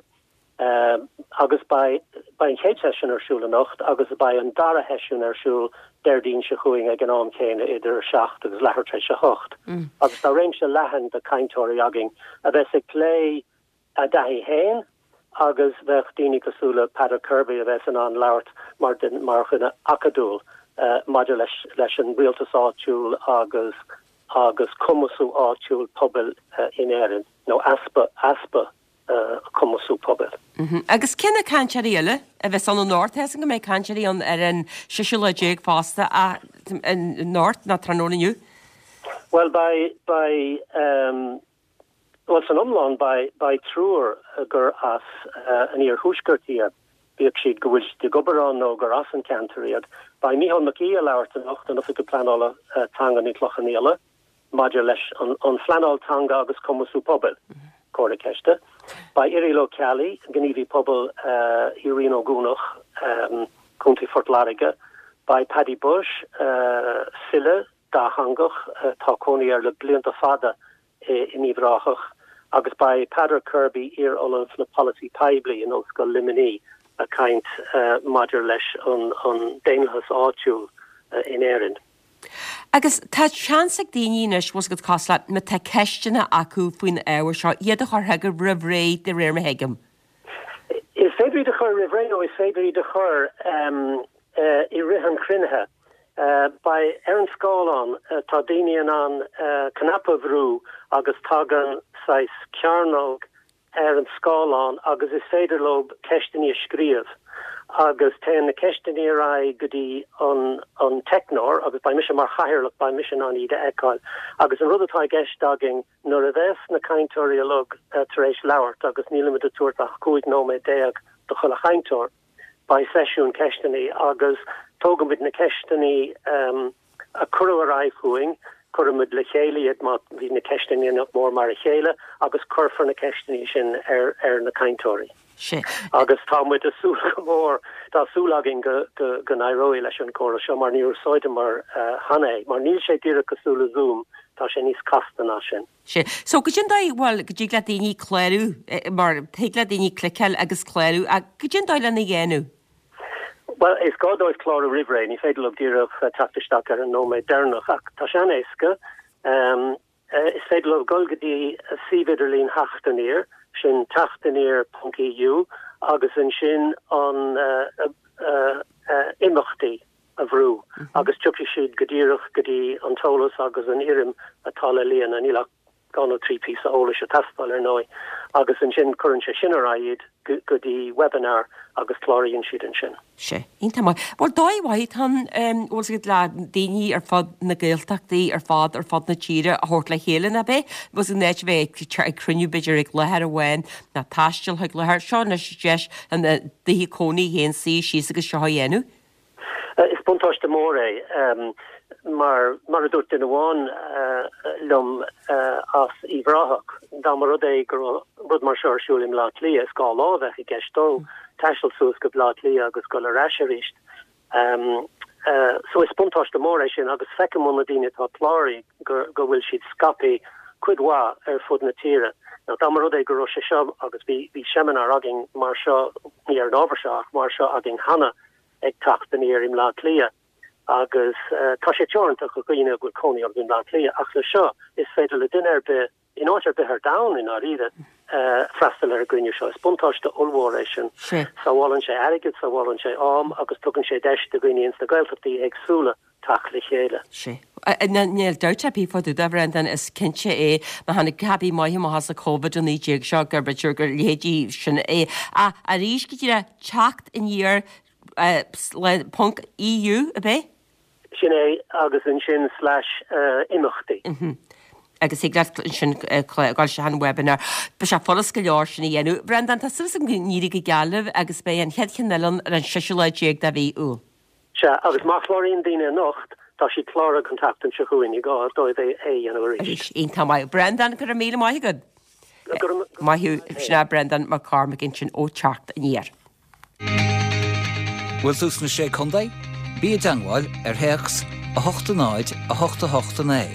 Agus beidh an chéad seisiún ar siúl anocht agus beidh an dara sheisiún ar siúl Déardaoin seo chugainn ag an am céanna idir a seacht agus leathuair tar éis a hocht. Agus tá réimse leathan de chainteoirí againn a bheas ag plé a dtaithí féin agus bheadh daoine cosúil le Peadar Kirby a bheas in ann labhairt mar mar dhuine acadúil maidir leis leis an rialtas áitiúil agus agus cumasú áitiúil pobail in Éirinn nó easpa easpa cumasú pobail. Agus cé na cainteoirí eile a bheas ann anocht? Tá a fhios agam go mbeidh cainteoirí ann ar an séú lá déag fosta anocht nó tráthnóna inniu. Bhuel beidh, beidh, bhuel san iomlán beidh, beidh triúr gur as an iarthuaisceart iad, bíodh siad go bhfuil siad ag obair ann nó gur as an ceantar iad. Beidh Mícheál Mac Aoidh ag labhairt anocht, an Oifigeach Pleanála Teanga in Cloich Cheann Fhaola. maidir leis an phleanáil teanga agus cumasú pobail, comhartha ceiste. Beidh Irial Ó Ceallaigh, gníomhaí pobail i Rinn Ó gCuanach, Contae Phort Láirge. Beidh Paddy Bushe, file dátheangach, tá cónaí air le blianta fada in Uíbh Ráthach, agus beidh Peadar Kirby, iar-ollamh le polasaí poiblí in Ollscoil Luimnigh, ag caint maidir leis an daonlathas áitiúil in Éirinn. Agus tá seans ag daoine anois, bhfuil 's agat, cosúil le, má tá ceisteanna acu faoin ábhar seo, iad a chur chugaibh roimh ré, de réir mar a thuigim. Is féidir iad a chur roimh ré nó is féidir iad a chur i rith an chruinnithe. Beidh ar an scáileán, tá daoine in ann cnaipe a bhrú agus tagann saghas cearnóg ar an scáileán agus is féidir leo ceisteanna a scríobh agus téann na ceisteanna ar aghaidh go dtí an an teicneoir agus beidh mise mar chathaoirleach, beidh mise in ann iad a fheiceáil. Agus an rud atá i gceist againn nuair a bheas na cainteoirí uilig tar éis labhairt agus nílimid ag tabhairt ach cúig nóiméad déag do chuile chainteoir, beidh seisiún ceisteanna agus tógaimid na ceisteanna a cuireadh ar aghaidh chugainn, cuirimid le chéile iad má bhí na ceisteanna nach mór mar a chéile agus cuirfear na ceisteanna sin ar ar na cainteoirí. Sea. Agus tá muid ag súil go mór, tá súil againn go go go n-éireoidh leis an gcóras seo mar níor úsáideamar cheana é, mar níl sé díreach cosúil le Zoom, tá sé níos casta ná sin. Sea. So goidé an dóigh, bhuel, go dtig le daoine clárú, mar thig le daoine cliceáil agus clárú, ach goidé an dóigh lena dhéanamh? Bhuel, is gá dóibh clárú roimh ré, ní féidir leo díreach teacht isteach ar an nóiméad deireanach, ach tá sé an-éasca. Is féidir leo dul go dtí suíomh idirlín Theacht Aniar, sin teachtaniar ponc EU, agus ansin an imeachtaí a bhrú agus tiocfaidh siad go díreach go dtí an t-eolas agus an fhoirm atá le líonadh. Níl ach dhá nó trí píosa eolais ag teastáil, ar ndóigh, agus ansin cuireann sé sin ar aghaidh iad go dtí webinar agus cláraíonn siad ansin. Sea, iontach maith. Bhuel, dóigh mhaith atá ann, bhfuil 's agat, le daoine ar fud na Gaeltachtaí ar fad, ar fud na tíre a thabhairt le chéile, nach ea? Bhfuil 's agat, in áit a bheith ag cruinniú b'fhéidir ag láthair amháin ná taisteal chuig láthair, seo anois deis ina dtithe cónaí féin suí síos agus seo a dhéanamh. Is buntáiste mór é mar, mar a dúirt duine amháin liom as Uíbh Ráthach, dá mba rud é go raibh rud mar seo ar siúl i mBleá Cliath, is dhá lá a bheadh i gceist dó taisteal suas go Bleá Cliath agus dul ar ais arís. So is buntáiste mór é sin agus feicim ó na daoine atá cláraithe go go bhfuil siad scaipthe cuid mhaith ar fud na tíre. Now dá mba rud é go raibh sé seo, agus bhí bhí seimineár againn mar seo, ní ar an ábhar seo ach mar seo againn cheana, ag Teacht Aniar i mBleá Cliath agus tá sé teoranta do dhaoine a bhfuil cónaí orthu i mBleá Cliath ach le seo is féidir le duine ar bith in áit ar bith ar domhan i ndáiríre freastal ar an gcruinniú seo. Is buntáiste ollmhór é sin. Sábhálann sé airgead, sábhálann sé am agus tugann sé deis do dhaoine ins na Gaeltachtaí éagsúla teacht le chéile. Sea. Níl dabht ar bith fá dtaobh de, a Bhreandáin, is cinnte é, má tháinig cibé maith amach as an Covid a naoi déag seo, gur b'fhéidir gur leithéidí sin é. Ach arís, go díreach, teacht aniar le ponc EU, ab é? Sin é, agus ansin slash imeachtaí. Agus thig leat ansin dul isteach an webinar. Beidh sé furast go leor sin a dhéanamh. Breandán, tá súil agam go n-éirí go geal libh agus beidh an chéad cheann eile ann ar an seisiú lá déag de mhí Iúil. Sea, agus má chláraíonn daoine anocht, tá siad cláraithe don tseachtain seo chugainn, ní gá dóibh é a dhéanamh arís. Arís, iontach maith. Breandán, go raibh míle maith agat. Go raibh maith agat. Sin é Breandán Mac Cormaic ansin ó Teacht Aniar. Bhfuil tú sna Sé Contae? Bí i dteangmháil ar théacs a hocht a náid a hocht a hocht a naoi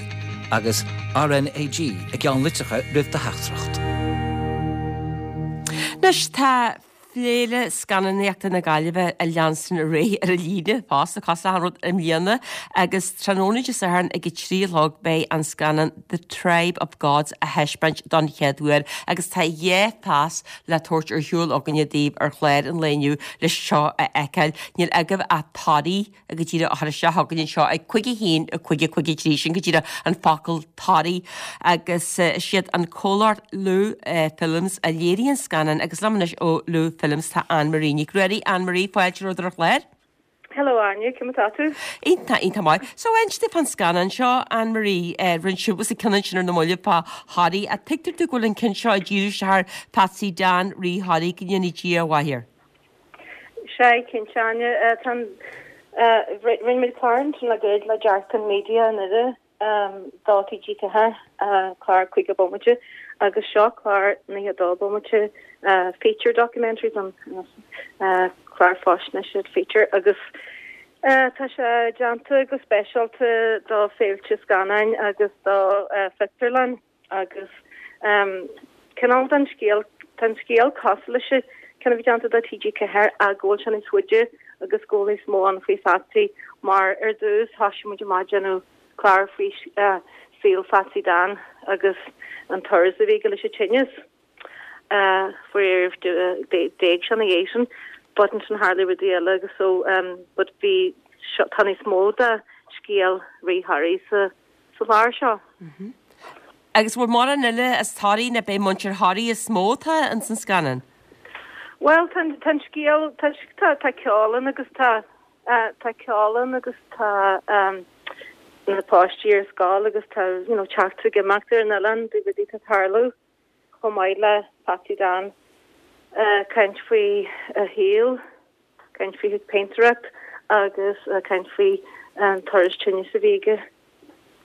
agus RnaG i gceannlitreacha roimh do theachtaireacht. Anois tá Féile Scannánaíochta na Gaillimhe ag leanstan ar aghaidh ar an líne fosta, cosúil le achan rud i mbliana agus tráthnóna Dé Sathairn ag a trí a chlog beidh an scannán The Tribe of Gods á thaispeáint don chéad uair agus tá dhá phas le tabhairt ar shiúl againne daoibh ar chlár an lae inniu leis seo a fheiceáil. Níl agaibh ach Toraigh go díreach a chur isteach chugainn anseo ag cúig a haon a cúig a cúig a trí, sin go díreach an focal Toraigh agus is iad an comhlacht Lugh Films a léirigh an scannán agus liom anois ó Lugh Films tá Anne Marie Nic Ruairí. Anne Marie, fáilte romhat ar an chlár. Hello Áine, cén mar atá tú? Iontach, iontach maith. So inis domh fán scannán seo, Anne Marie, rinne sibh an ceann ansin ar na mallaibh fá Thoraigh, ach tuigtear domh go bhfuil an ceann seo ag díriú isteach ar Patsy Dan, Rí Thoraí, go ndéana Dia a mhaith air. Sea, cinnte Áine, tá an, rinne muid clár ansin le gairid le Dearcán Media anuraidh do TG Ceathair, clár caoga bomaite agus seo clár nócha dó bomaite, feature documentary an clár faisnéise feature agus Tá sé déanta go speisialta do féilte scannáin agus do phictiúrlann agus cineál den scéal, tá an scéal cosúil leis an ceann a bhí déanta do TG Ceathair ach go bhfuil sé níos faide agus go bhfuil níos mó ann faoi Phatsy mar ar dtús thosaigh muid amach ag déanamh clár faoi saol Phatsy Dan agus an turas a bhí aige leis an tinneas. Faraor d'éag sé ina dhiaidh sin but ansin tharla rudaí eile agus so but bhí tá níos mó de scéal Rí Thoraí sa sa chlár seo. Agus bhfuil mórán eile as Toraigh nó b'é muintir Thoraí is mó atá ins an scannán? Bhuel tá tá an scéal tá tá tá ceol ann agus tá tá ceol ann agus tá na páistí ar scoil agus tá you know teacht ag imeacht ar an oileán de rudaí atá ag tarlú. chomh maith le Patsy Dan, caint faoi a shaol, caint faoi phéintéireacht agus caint faoi an turas tinnis a bhí aige.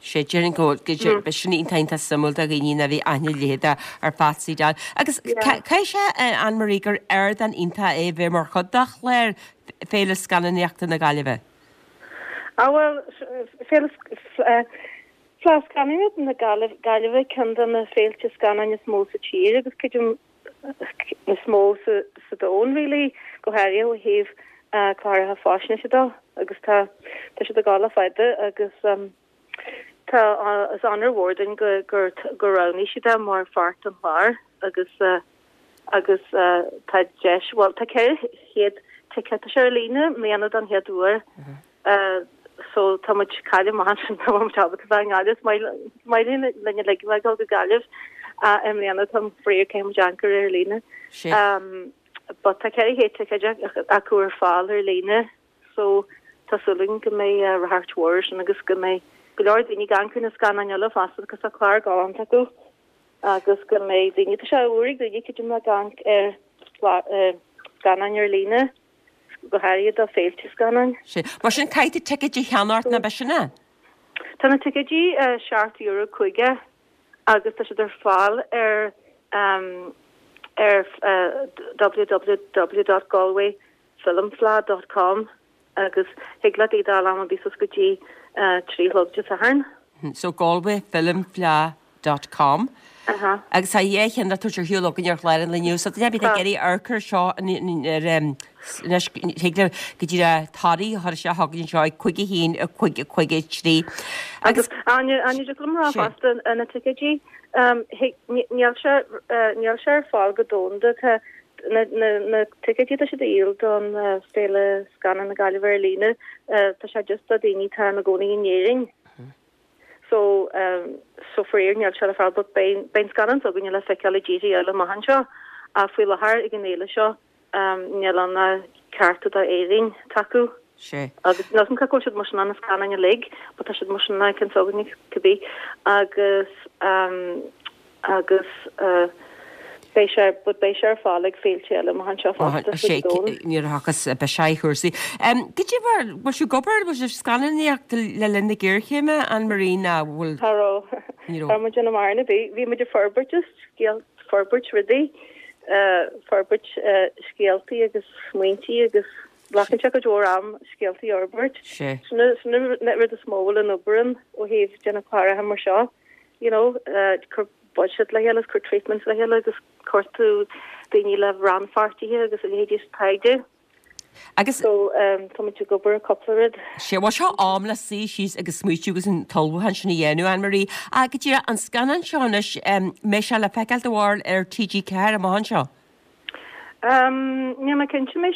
Sé, déarfainn go bhfuil, beidh sin iontach iontach suimiúil do dhaoine nach bhí aithne a leithéid ar Phatsy Dan. Agus caithfidh sé, Anne Marie, gur ardán iontach é bheith mar chuid de chlár Féile Scannánaíochta na Gaillimhe. Ah bhuel, Féile Fleadh Scannánaíochta na Gaillimhe ceann de na féilte scannáin is mó sa tír agus creidim is mó sa domhan really, go háirithe ó thaobh cláracha faisnéise de agus tá tá siad ag gabháil le fada agus tá is onóir mhór dúinn go gur gur roghnaigh siad é mar pháirt den chlár agus agus tá deis bhuel tá ceithre chéad ticéad tá sé ar líne i mbliana don chéad uair. So tá muid caillte amach ansin tá muid ábalta bheith i nGaillimh. Is maith linn linn uilig a bheith ag dul go Gaillimh i mbliana tá faraor caithfidh muid amharc ar líne. But tá ceithre chéad ticéad acu ar fáil ar líne so tá súil againn go mbeidh ráchairt mhór air sin agus go mbeidh go leor daoine ag amharc ar na scannáin eile fosta agus tá clár galánta acu agus go mbeidh daoine tá sé úr ag daoine creidim ag amharc ar scannáin ar líne. go háirithe do féilte scannáin. Sea. Mar sin, caithfidh tú ticéid a cheannacht nó ab sin é? Tá na ticéidí seacht euro caoga agus tá siad ar fáil ar ar www dot galway film fleadh dot com agus thig leat iad a fháil am ar bith suas go dtí trí a chlog Dé Sathairn. So galway film fleadh dot com. Agus tá dhá cheann le tabhairt ar shiúl againn ar chlár an lae inniu, so duine ar bith ag iarraidh amharc air seo anois thig le go díreach Toraigh a chur isteach chugainn anseo ag cúig a haon a cúig a cúig a trí. Agus Áine, Áine, dtig liom a rá fosta na ticéidí, níl sé níl sé ar fáil go domhanda, tá na na na ticéidí atá siad a dhíol don Féile Scannán na Gaillimhe ar líne, tá sé just do daoine atá ina gcónaí in Éirinn. So so faraor níl sé le fáil but beidh beidh an scannán s'againne le feiceáil i dtíortha eile amach anseo ach faoi láthair ag an fhéile seo níl ann ach cearta do Éirinn atá acu. Sea. Agus níl 'fhios a'm cé go bhfuil siad mar sin ann na scannáin uilig but tá siad mar sin ann ceann s'againne cibé agus agus Beidh sé, but beidh sé ar fáil ag féilte eile amach anseo fosta Sé, sa domhan. nuair a thiocfas, beidh sé i chúrsaí. Cad é mar, bhfuil sibh ag obair, bhfuil sibh ag scannánaíocht le linn na géarchéime, Anne Marie, ná bhfuil? Cha raibh. Ní raibh. Cha raibh muid ag déanamh mórán ar bith. Bhí muid ag forbairt just scéal, forbairt rudaí, forbairt scéaltaí agus smaointí agus glacann sé cuid mhór am scéaltaí a fhorbairt. Sé. Sin sin an rud is mó a bhfuil an obair ann ó thaobh déanamh cláracha mar seo, you know, cur budget le chéile, cur treatments le chéile agus cuartú daoine le rannpháirtithe agus a leithéidí sa taighde. Agus. So tá muid ag obair ar cúpla rud. Sé, bhuel seo am le suí síos agus smaoitiú agus an t-ullmhúchán sin a dhéanamh, Anne Marie. Ach go díreach, an scannán seo anois, mbeidh sé le feiceáil do bharúil ar TG Ceathair amach anseo? Níl mé cinnte, mé,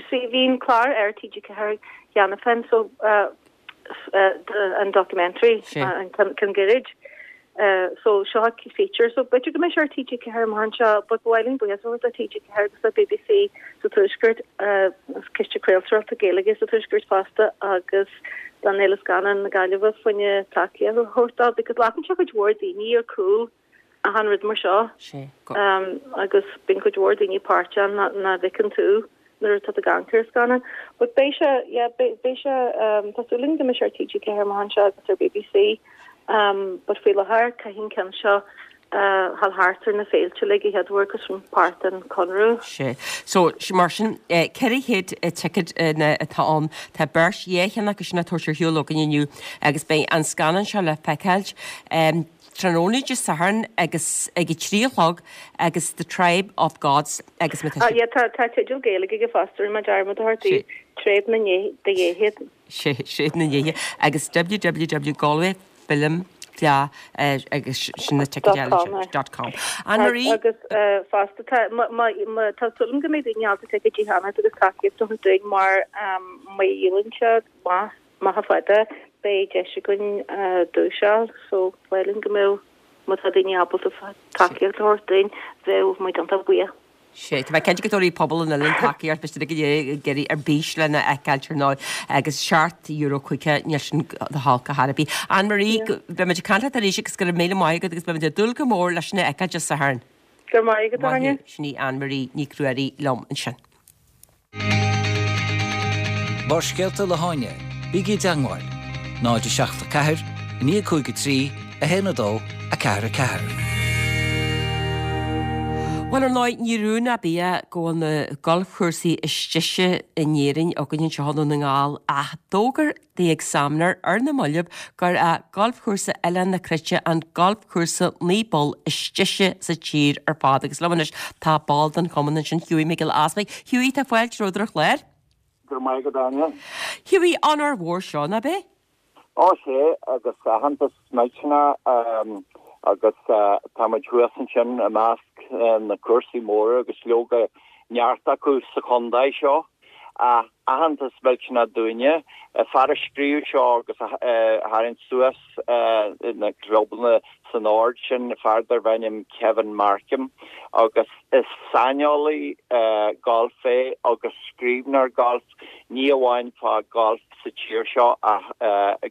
see bhí an clár ar TG Ceathair cheana féin so an documentary, an ceann gairid. So seo feature so b'fhéidir go mbeidh sé ar TG Ceathair amach anseo but ba mhaith linn buíochas a thabhairt do TG Ceathair agus do BBC sa Tuaisceart, Ciste Craoltóireachta Gaeilge sa Tuaisceart fosta agus don Fhéile Scannán na Gaillimhe fá choinne tacaíocht a thabhairt dó because glacann sé cuid mhór daoine ar cúl achan rud mar seo agus bíonn cuid mhór daoine páirteach nach bhfeiceann tú nuair atá tú ag amharc ar scannán. But beidh sé, yeah, beidh sé, tá súil againn go mbeidh sé ar TG Ceathair amach anseo agus ar BBC. But faoi láthair caithfidh an ceann seo dhul thart ar na féilte uilig a chéad uair agus sin páirt den conradh. Sea. So, mar sin, ceithre chéad ticéad atá ann. Tá beirt, dhá cheann acu sin á dtabhairt ar shiúl againn inniu agus beidh an scannán seo le feiceáilt tráthnóna Dé Sathairn agus ag a trí a chlog agus The Tribe of Gods agus má tá Ah, yeah, tá tá teideal Gaeilge aige fosta, rinne mé dearmad a thabhairt daoibh, Tréad na nDéithe. Sea, Tréad na nDéithe agus www Galway Film Fleadh agus sin na ticéid eile Dot sin. com, aye. Dot com. Anne-Marie? Agus fosta tá má má má tá súil agam go mbeidh daoine ábalta ticéidí a cheannacht agus tacaíocht a thabhairt dúinn mar má dhíolann siad maith maith fada beidh deis againn duais a fháil so ba mhaith linn go mbeadh má tá daoine ábalta tacaíocht a thabhairt dúinn bheadh muid iontach buíoch. Sea, tá mé cinnte go dtabharfaidh pobal an oileáin tacaíocht, beidh siad ag iarraidh ar bís lena fheiceáilt ar ndóigh agus seacht euro caoga, níl sin go holc ar chor ar bith. Anne Marie, beimid ag caint leat arís agus go raibh míle maith agat agus beimid ag dúil go mór leis sin a fheiceáil Dé Sathairn. Go raibh maith agat, Áine. Sin í Anne Marie Nic Ruairí liom ansin. Barrscéalta le hÁine, bígí i dteangmháil, náid a seacht a ceathair, a naoi cúig a trí, a haon a dó, a ceathair a ceathair. Bhuel ar ndóigh, ní rún ar bith é go bhfuil na galfchúrsaí is deise in Éirinn againn anseo i nDún na nGall ach d'fhógair The Examiner ar na mallaibh gur é galfchúrsa Oileán na Cruite an galfchúrsa naoi bpoll is deise sa tír ar fad agus liom anois tá ball den chumann ansin, Hughie Mac Giolla Easpaig. Hughie, tá fáilte romhat ar an chlár. Go raibh maith agat, Áine. Hughie, onóir mhór seo, ná b'é? Ó sea, agus aitheantas millteanach agus tá muid thuas ansin i measc na cúrsaí móra agus leoga neart acu sa chontae seo. Aitheantas millteanach dúinne. Fear a scríobh seo agus a tharraing suas na clubanna san ord sin, fear darb ainm Kevin Markham agus is saineolaí gailf é agus scríbhneoir gailf, ní amháin fá golf sa tír seo ach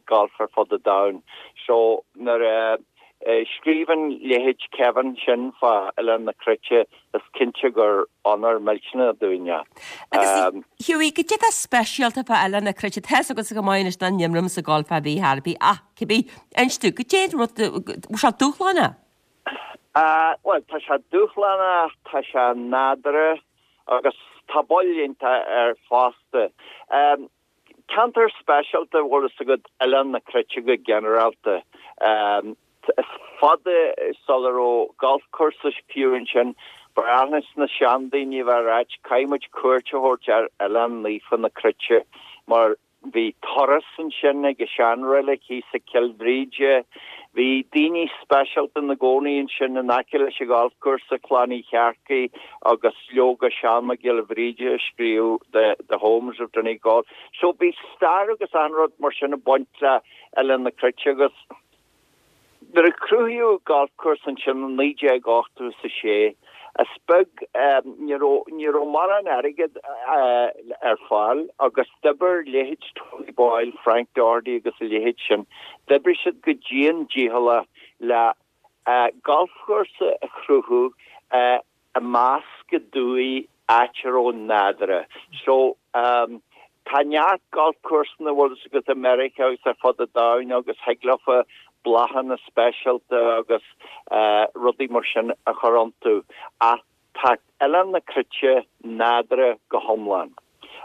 golf ar fud an domhain. So nuair a scríobhann leithéid Kevin sin fá Oileán na Cruite is cinnte gur onóir millteanach dúinn é. Agus Hughie, goidé atá speisialta fá Oileán na Cruite, tá a fhios agatsa go maith anois nach n-imrím sa golf ar bith ar bith ach cibé, inis domh, goidé an rud, bhfuil sé dúshlánach? Bhuel, tá sé dúshlánach, tá sé nádúrtha agus tá bail iontach air fosta. Ceantar speisialta, bhfuil fhios agat, Oileán na Cruite go ginearálta. Is fada sula raibh galfchúrsa fiú ansin, ba ghnách leis na seandaoine a bheith ag ráit, caithfidh muid cuairt a thabhairt ar Oileán Naofa na Cruite mar bhí turas ansin ag an seanreilig thíos ag Cill Bhríde. Bhí daoine speisialta ina gcónaí ansin in aice leis an ghalfchúrsa, Clann Uí Shearcaigh agus leoga Seán Mac Giolla Bhríde a scríobh The, The Homes of Donegal. So bhí stair agus achan rud mar sin ag baint le Oileán na Cruite agus Nuair a cruthaíodh galfchúrsa ansin i naoi déag ochtó is a sé, is beag, ní raibh, ní raibh mórán airgead ar fáil agus d'oibir leithéid Tony Boyle, Frank Doherty agus a leithéid sin, d'oibrigh siad go dian dícheallach le galfchúrsa a chruthú i measc an dúiche áit a raibh nádúrtha. So, tá neart galfchúrsanna bhfuil fhios agat i Meiriceá agus ar fud an domhain agus thig leofa bláthanna speisialta agus rudaí mar sin a chur iontu ach tá Oileán na Cruite nádúrtha go hiomlán.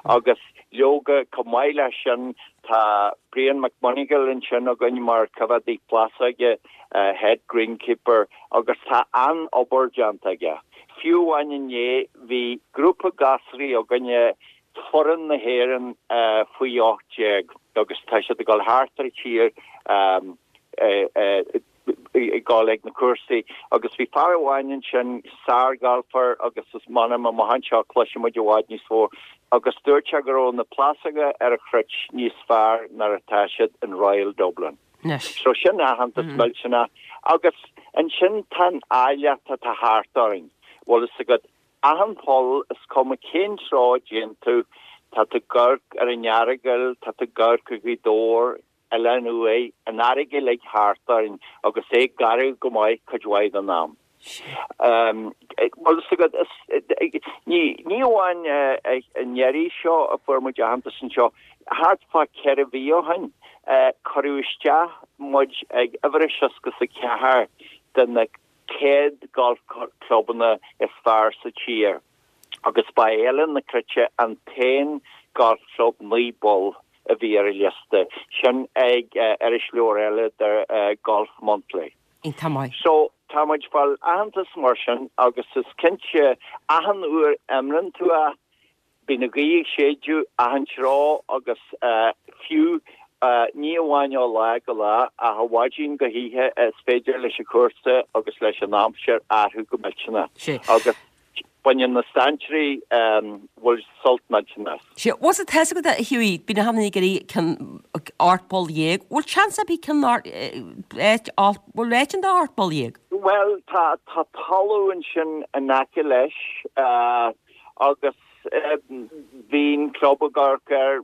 Agus leoga, chomh maith leis sin, tá Brian McMonagle ansin againn mar choimheádaí plásóige, head greenkeeper, agus tá an-obair déanta aige. Fiú amháin inné, bhí grúpa gasraí againne, foireann na hÉireann faoi ocht déag, agus tá siad ag dul thart ar an tír ag dul ag na cúrsaí agus bhí fear amháin ansin, sár-ghalfar agus is m'anam amach anseo cloisfidh muid i bhfad níos mó agus dúirt sé go raibh na plásóga ar an Chruit níos fearr ná atá siad in Royal Dublin. So sin aitheantas millteanach agus ansin tá an áilleacht atá thart orainn, bhfuil fhios agat, achan pholl is cuma cén treo a dtéann tú, tá tú ag amharc ar an Earagail, tá tú ag amharc ar Ghaoth Dobhair, Oileán Uaighe, an fharraige uilig thart orainn agus é garbh go maith cuid mhaith den am. Bhfuil fhios agat, ní ní amháin an iarraidh seo a fuair muid aitheantas anseo, thart fá ceithre mhí ó shin, cuireadh isteach muid ag uimhir a seasca is a ceathair de na céad golf clubanna is fearr sa tír agus ba é Oileán na Cruite an t-aon golf club naoi bpoll a bhí ar an liosta sin ag irisleabhar eile the Golf Monthly. Iontach maith. So tá muid ag fáil aitheantas mar sin agus is cinnte achan uair a imríonn tú é bíonn an ghaoth ag séideadh achan treo agus fiú ní amháin ó lá go lá ach ó mhaidin go hoíche is féidir leis an chúrsa agus leis an aimsir athrú go millteanach. Agus baineann na strainséirí bhfuil sult millteanach. Sea, bhfuil a fhios agat a Hughie, bíonn achan duine ag iarraidh ceann ocht bpoll dhéag, bhfuil seans ar bith ceann áit, bhfuil áit ann do ocht bpoll dhéag? Bhuel, tá tá talamh ansin in aice leis agus bhí an club ag amharc air,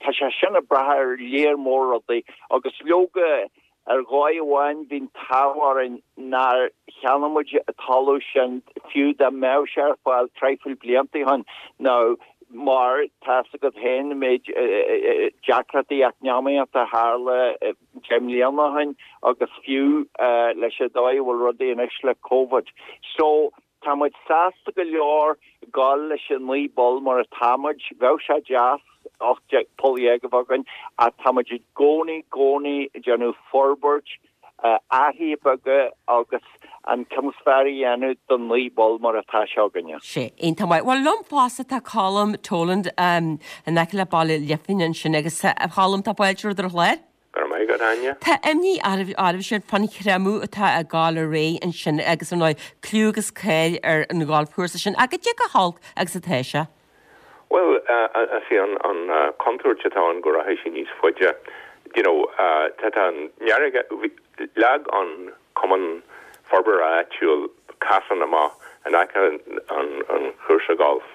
tá sé sin ag brath ar léar mór rudaí agus leoga Ar dhóigh amháin bhí an t-ádh orainn nár cheannaigh muid an talamh sin fiú dá mbeadh sé ar fáil traidhfil blianta ó shin nó mar tá fhios agat féin an méid deacrachtaí eacnamaíochta a tharla deich mbliana ó shin agus fiú leis an dóigh a bhfuil rudaí anois le Covid. So tá muid sásta go leor dul leis an naoi bpoll mar atá muid. Bheadh sé deas ocht poll dhéag a bheith againn ach tá muid i gcónaí, gcónaí ag déanamh forbairt, athruithe beaga agus an ceann is fearr a dhéanamh don naoi bpoll mar atá sé againne. Sea, iontach maith. Bhuel, liom fosta tá Colm Toland in aice le Baile Lifin ansin agus a Cholm, tá fáilte romhat ar an chlár. Go raibh maith agat, Áine. Tá imní oraibhse fán chreimeadh atá ag gabháil ar aghaidh ansin agus ar ndóigh clú agus cáil ar an gholfchúrsa sin. Ach cad é chomh holc agus atá sé? Bhuel, is í an chontúirt atá ann go rachaidh sé níos faide. You know, tá tá an fharraige, leag an Cumann Forbartha Áitiúil casán amach in aice an chúrsa golf.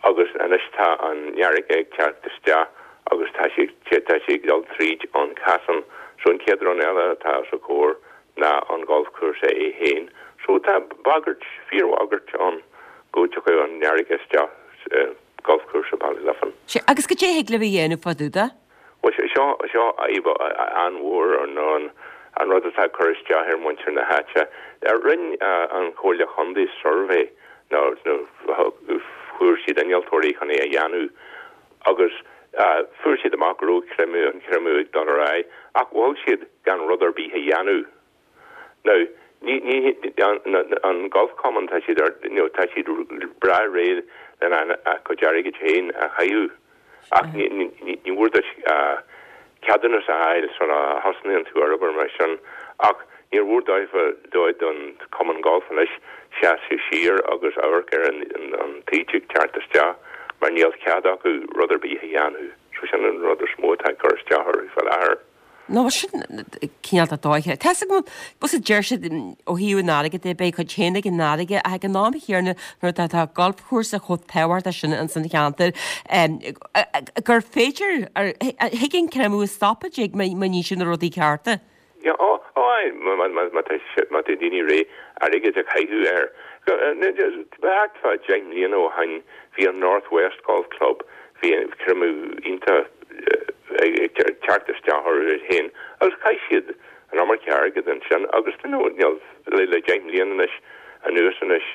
Agus anois tá an fharraige ag teacht isteach agus tá sí tá sí ag dul tríd an casán so an chéad rud eile atá os a comhair ná an golfchúrsa é féin. So tá bagairt, fíorbhagairt ann go dtiocfaidh an fharraige isteach sa golfchúrsa Baile Lifin. Sea, agus cad é a thig libh a dhéanamh fá dtaobh de? Bhuel, seo seo fadhb an-mhór an an rud atá ag cur isteach ar mhuintir na háite. Rinne an Chomhairle Chontae suirbhé nó fuair siad innealtóirí chun é a dhéanamh agus fuair siad amach go raibh creimeadh, an creimeadh ag dul ar aghaidh ach mhol siad gan rud ar bith a dhéanamh. Now, ní, ní, an Golf Cumann, tá siad ar, you know, tá siad breá réidh lena a gcuid airgid féin a chaitheamh ach ní, ní, ní mór duit ceadúnas a fháil sula thosnaíonn tú ar obair mar sin ach níor mhór dóibh, dóibh don Chumann Golf anois seasamh siar agus amharc ar an an taoide ag teacht isteach mar níl cead acu rud ar bith a dhéanamh. So sin an rud is mó atá ag cur isteach orthu faoi láthair. Nó sin cineál de dóiche. Tá 'fhios agam, bhuel sea deir siad ó thaobh an airgid de, beidh cuid féin ag an fharraige ach ag an am chéanna nuair atá tá galfchúrsa chomh tábhachtach sin ins an cheantar gur féidir, thig an creimeadh a stopadh, dtig, má níonn siad na rudaí cearta. Yeah, ó, ó, aye, má tá má tá daoine réidh airgead a chaitheamh air. Thart fá deich mbliana ó shin bhí an North West Golf Club, bhí creimeadh iontach ag teacht isteach orthu féin agus chaith siad an iomarca airgid ansin agus you know níl le le deich mbliana anois anuas anois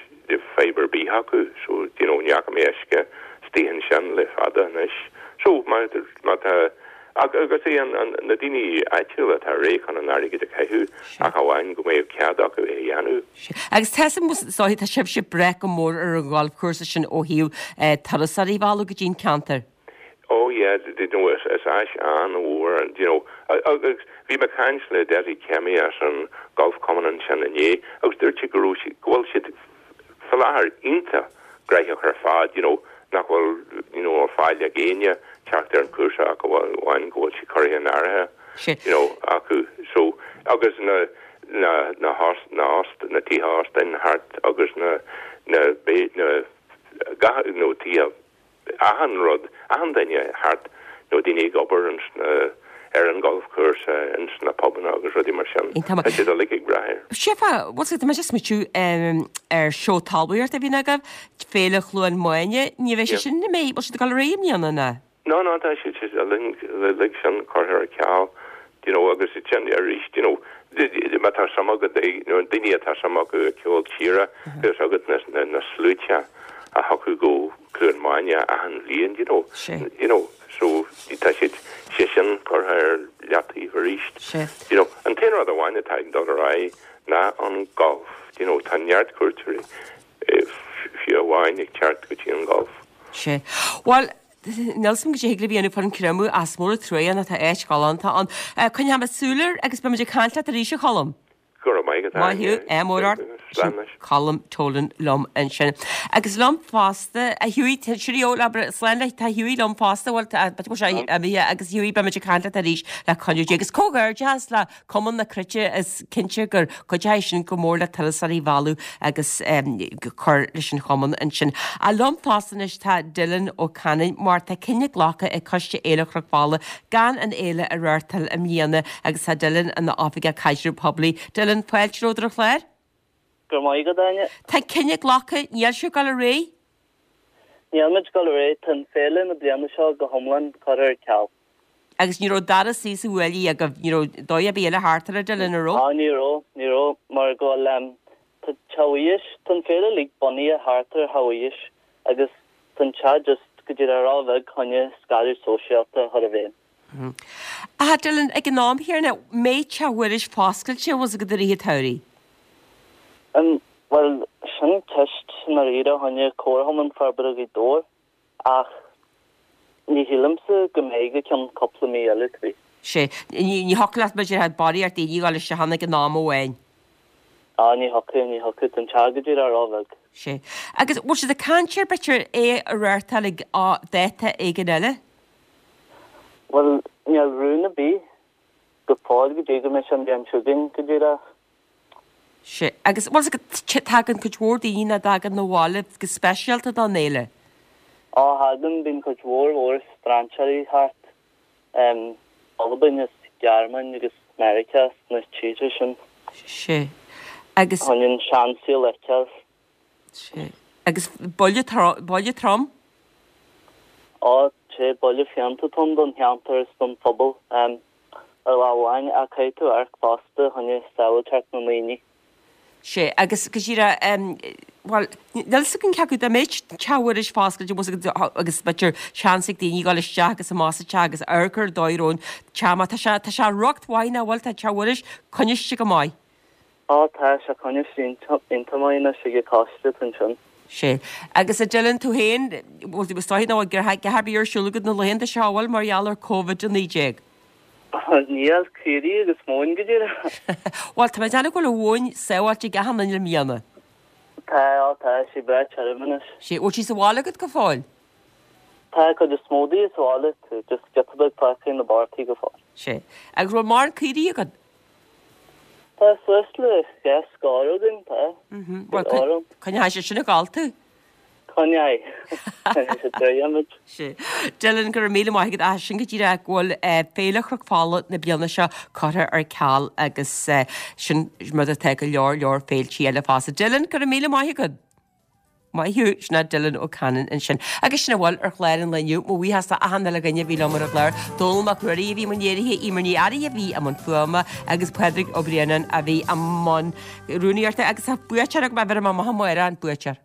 fadhb ar bith acu so you know ní fhaca mé uisce istigh ansin le fada anois. So má má tá Agus é an na daoine áitiúla atá réidh chun an airgead a chaitheamh ach amháin go mbeadh cead acu é a dhéanamh. Agus tá 'fhios agam is dóiche tá sibhse ag brath go mór ar an gholfchúrsa sin ó thaobh turasóirí a mhealladh go dtí an ceantar. Oh yeah, you know, is áis an-mhór an, you know, agus bhí mé ag caint le Dessie Kemmy as an Golf Cumann ansin inné agus dúirt sé go raibh siad, go bhfuil siad faoi láthair iontach gnóthach ar fad, you know, nach bhfuil, you know, fáil ag éinne teacht ar an chúrsa ach amháin go bhfuil sé curtha in áirithe, you know, acu. So, agus na, na, na host, na host, na tithe óstáin thart agus na, na, na, gach, you know, tithe achan rud, achan duine thart, nó daoine ag obair ins na, ar an golfchúrsa, ins na pubanna agus rudaí mar sin. Tá siad uilig ag brath air. Sefa, bhuel tá mé just ag smaoitiú ar seó talmhaíochta a bhíonn agaibh, Féile Chluain Maine, ní bheidh sé sin, an mbeidh, bhfuil siad ag dul ar aghaidh i mbliana, nó? No, no, tá siad, siad uilig sin curtha ar ceal You know, agus ansin arís, you know, má tá suim agat, nó an daoine atá suim acu i gceol tíre, agus agat na, na, na sluaite a thiocfadh go Cluain Maine achan bhliain, you know, you know, so tá siad sé sin curtha ar leataobh arís. You know, an t-aon rud amháin atá ag dul ar aghaidh ná an golf, you know, tá neart cuairteoirí fiú amháin ag teacht go dtí an golf. Sé. Bhuel, níl 'fhios a'm goidé thig libh a dhéanamh fán Chromadh ach is mór an truaighe nó tá áit ghalánta ann. Coinneoidh mé súil air agus beidh muid ag caint leat arís a Cholm. Go raibh maith agat. Maith thú, ádh mór ort. Slán anois. Colm Tolan liom ansin. Agus liom fosta, a Hughie, cheerio, labhair, slán leat, tá Hughie liom fosta, bhuel, tá, b'fhéidir go bhfuil sé imithe agus Hughie beidh muid ag caint leat arís le cúnamh Dé. Agus comhghairdeachas le Cumann na Cruite, is cinnte gur chuidigh sin go mór le turasóirí a mhealladh agus cur leis an chumann ansin. Ach liom fosta anois tá Dylan Ó Canainn mar tá cinneadh glactha ag Coiste Fhéile Chnoc Fola gan an fhéile a reáchtáil i mbliana agus tá Dylan ina Oifigeach Caidreamh Poiblí. Dylan, fáilte romhat ar an chlár. Go raibh maith agat, Áine. Tá cinneadh glactha, níl sibh ag dul ar aghaidh? Níl muid ag dul ar aghaidh, tá an féile na bliana seo go hiomlán curtha ar ceal. Agus ní raibh dara suí sa bhuaile agaibh, ní raibh dóigh ar bith eile thart air, a Dylan, an raibh? Á, ní raibh, ní raibh, mar go bhfuil, em, tá Teach Mhuiris, tá an féile uilig bunaithe thart ar Theach Mhuiris agus tá an teach just go díreach ró-bheag chun scaradh sóisialta a chur i bhfeidhm. Ach, Dylan, ag an am chéanna, mbeidh Teach Mhuiris foscailte, bhfuil 's agat i rith an tsamhraidh? Em, bhuel, sin ceist i ndáiríre choinne Comharchumann Forbartha Ghaoth Dobhair ach ní shílimse go mbeidh go ceann cúpla mí eile, to be. Sé. Ní, ní thiocfadh leat b'fhéidir barraíocht daoine a dhul isteach ann ag an am amháin. Á, ní thiocfadh, ní thiocfadh, tá an teach go díreach ró-bheag. Sé. Agus bhfuil siad ag caint ar b'fhéidir é a reáchtáil ag dáta éigin eile? Bhuel, níl rún ar bith go fóill go dtí go mbeidh sé an bhliain seo chugainn go díreach. Sea. Agus bhfuil 's agat, tagann cuid mhór daoine nach dtagann 'na bhaile go speisialta don fhéile. Á, thagann, bíonn cuid mhór mhór strainséirí thart, em, Albain is Gearmáin agus Meiriceá is na tíortha sin. Sea. Agus. Chun an seansaol a fheiceáil. Sea. Agus buille trom, buille trom? Á, sé, buille fiánta atá ann don cheantar is don phobal, em, ar lámh amháin, ach caithfidh tú amharc fosta choinne sábháilteacht na ndaoine. Sea, agus go díreach, em, bhuel, níl 'fhios agam cé acu dá mbeadh Teach Mhuiris foscailte bhfuil 's agat agus b'fhéidir seans ag daoine dhul isteach agus amach sa teach agus amharc ar an dóigh a raibh an teach mar tá sé, tá sé riocht mhaith nach bhfuil, tá Teach Mhuiris coinniste go maith. Á, tá sé coinniste iontach maith anois ag an choiste atá ansin. Sea. Agus a Dylan, tú féin, bhfuil tú, is dóigh nach bhfuil a dhath ar bith ar siúl agat na laethanta seo, an bhfuil, mar gheall ar Covid a naoi déag? Níl, caoirigh agus móin go díreach. Bhuel, tá mé ag déanamh go bhfuil an mhóin sábháilte ag achan duine i mbliana. Tá, á tá, sí breá tirim anois. Sea, bhfuil sí sa bhaile agat go fóill? Tá, cuid is mó di sa bhaile, tá just giota beag fágtha ina bpártaí go fóill. Sea. Agus bhfuil mórán caoirigh agat? Tá suas le dhá scór againn, tá. Bhuel, coinneoidh sé sin ag gabháil tú. Coinneoidh. Coinneoidh sé draoi muid. Sea. Dylan, go raibh míle maith agat as sin go díreach go bhfuil Féile Chnoc Fola na bliana seo curtha ar ceal agus sin rud atá go leor leor féiltí eile fosta. Dylan, go raibh míle maith agat. Maith thú, sin é Dylan Ó Canainn ansin. Agus sin a bhfuil ar chlár an lae inniu. Mo bhuíochas do achan uile dhuine a bhí liom ar an gclár. Dónall Mac Ruairí a bhí i mbun léirithe, Eimear Ní Fhearraigh a bhí i mbun fuaime agus Pádraig Ó Braonáin a bhí i mbun rúnaíochta. Agus tá buaiteoir agam, bhéarfaidh mé amach amárach an buaiteoir.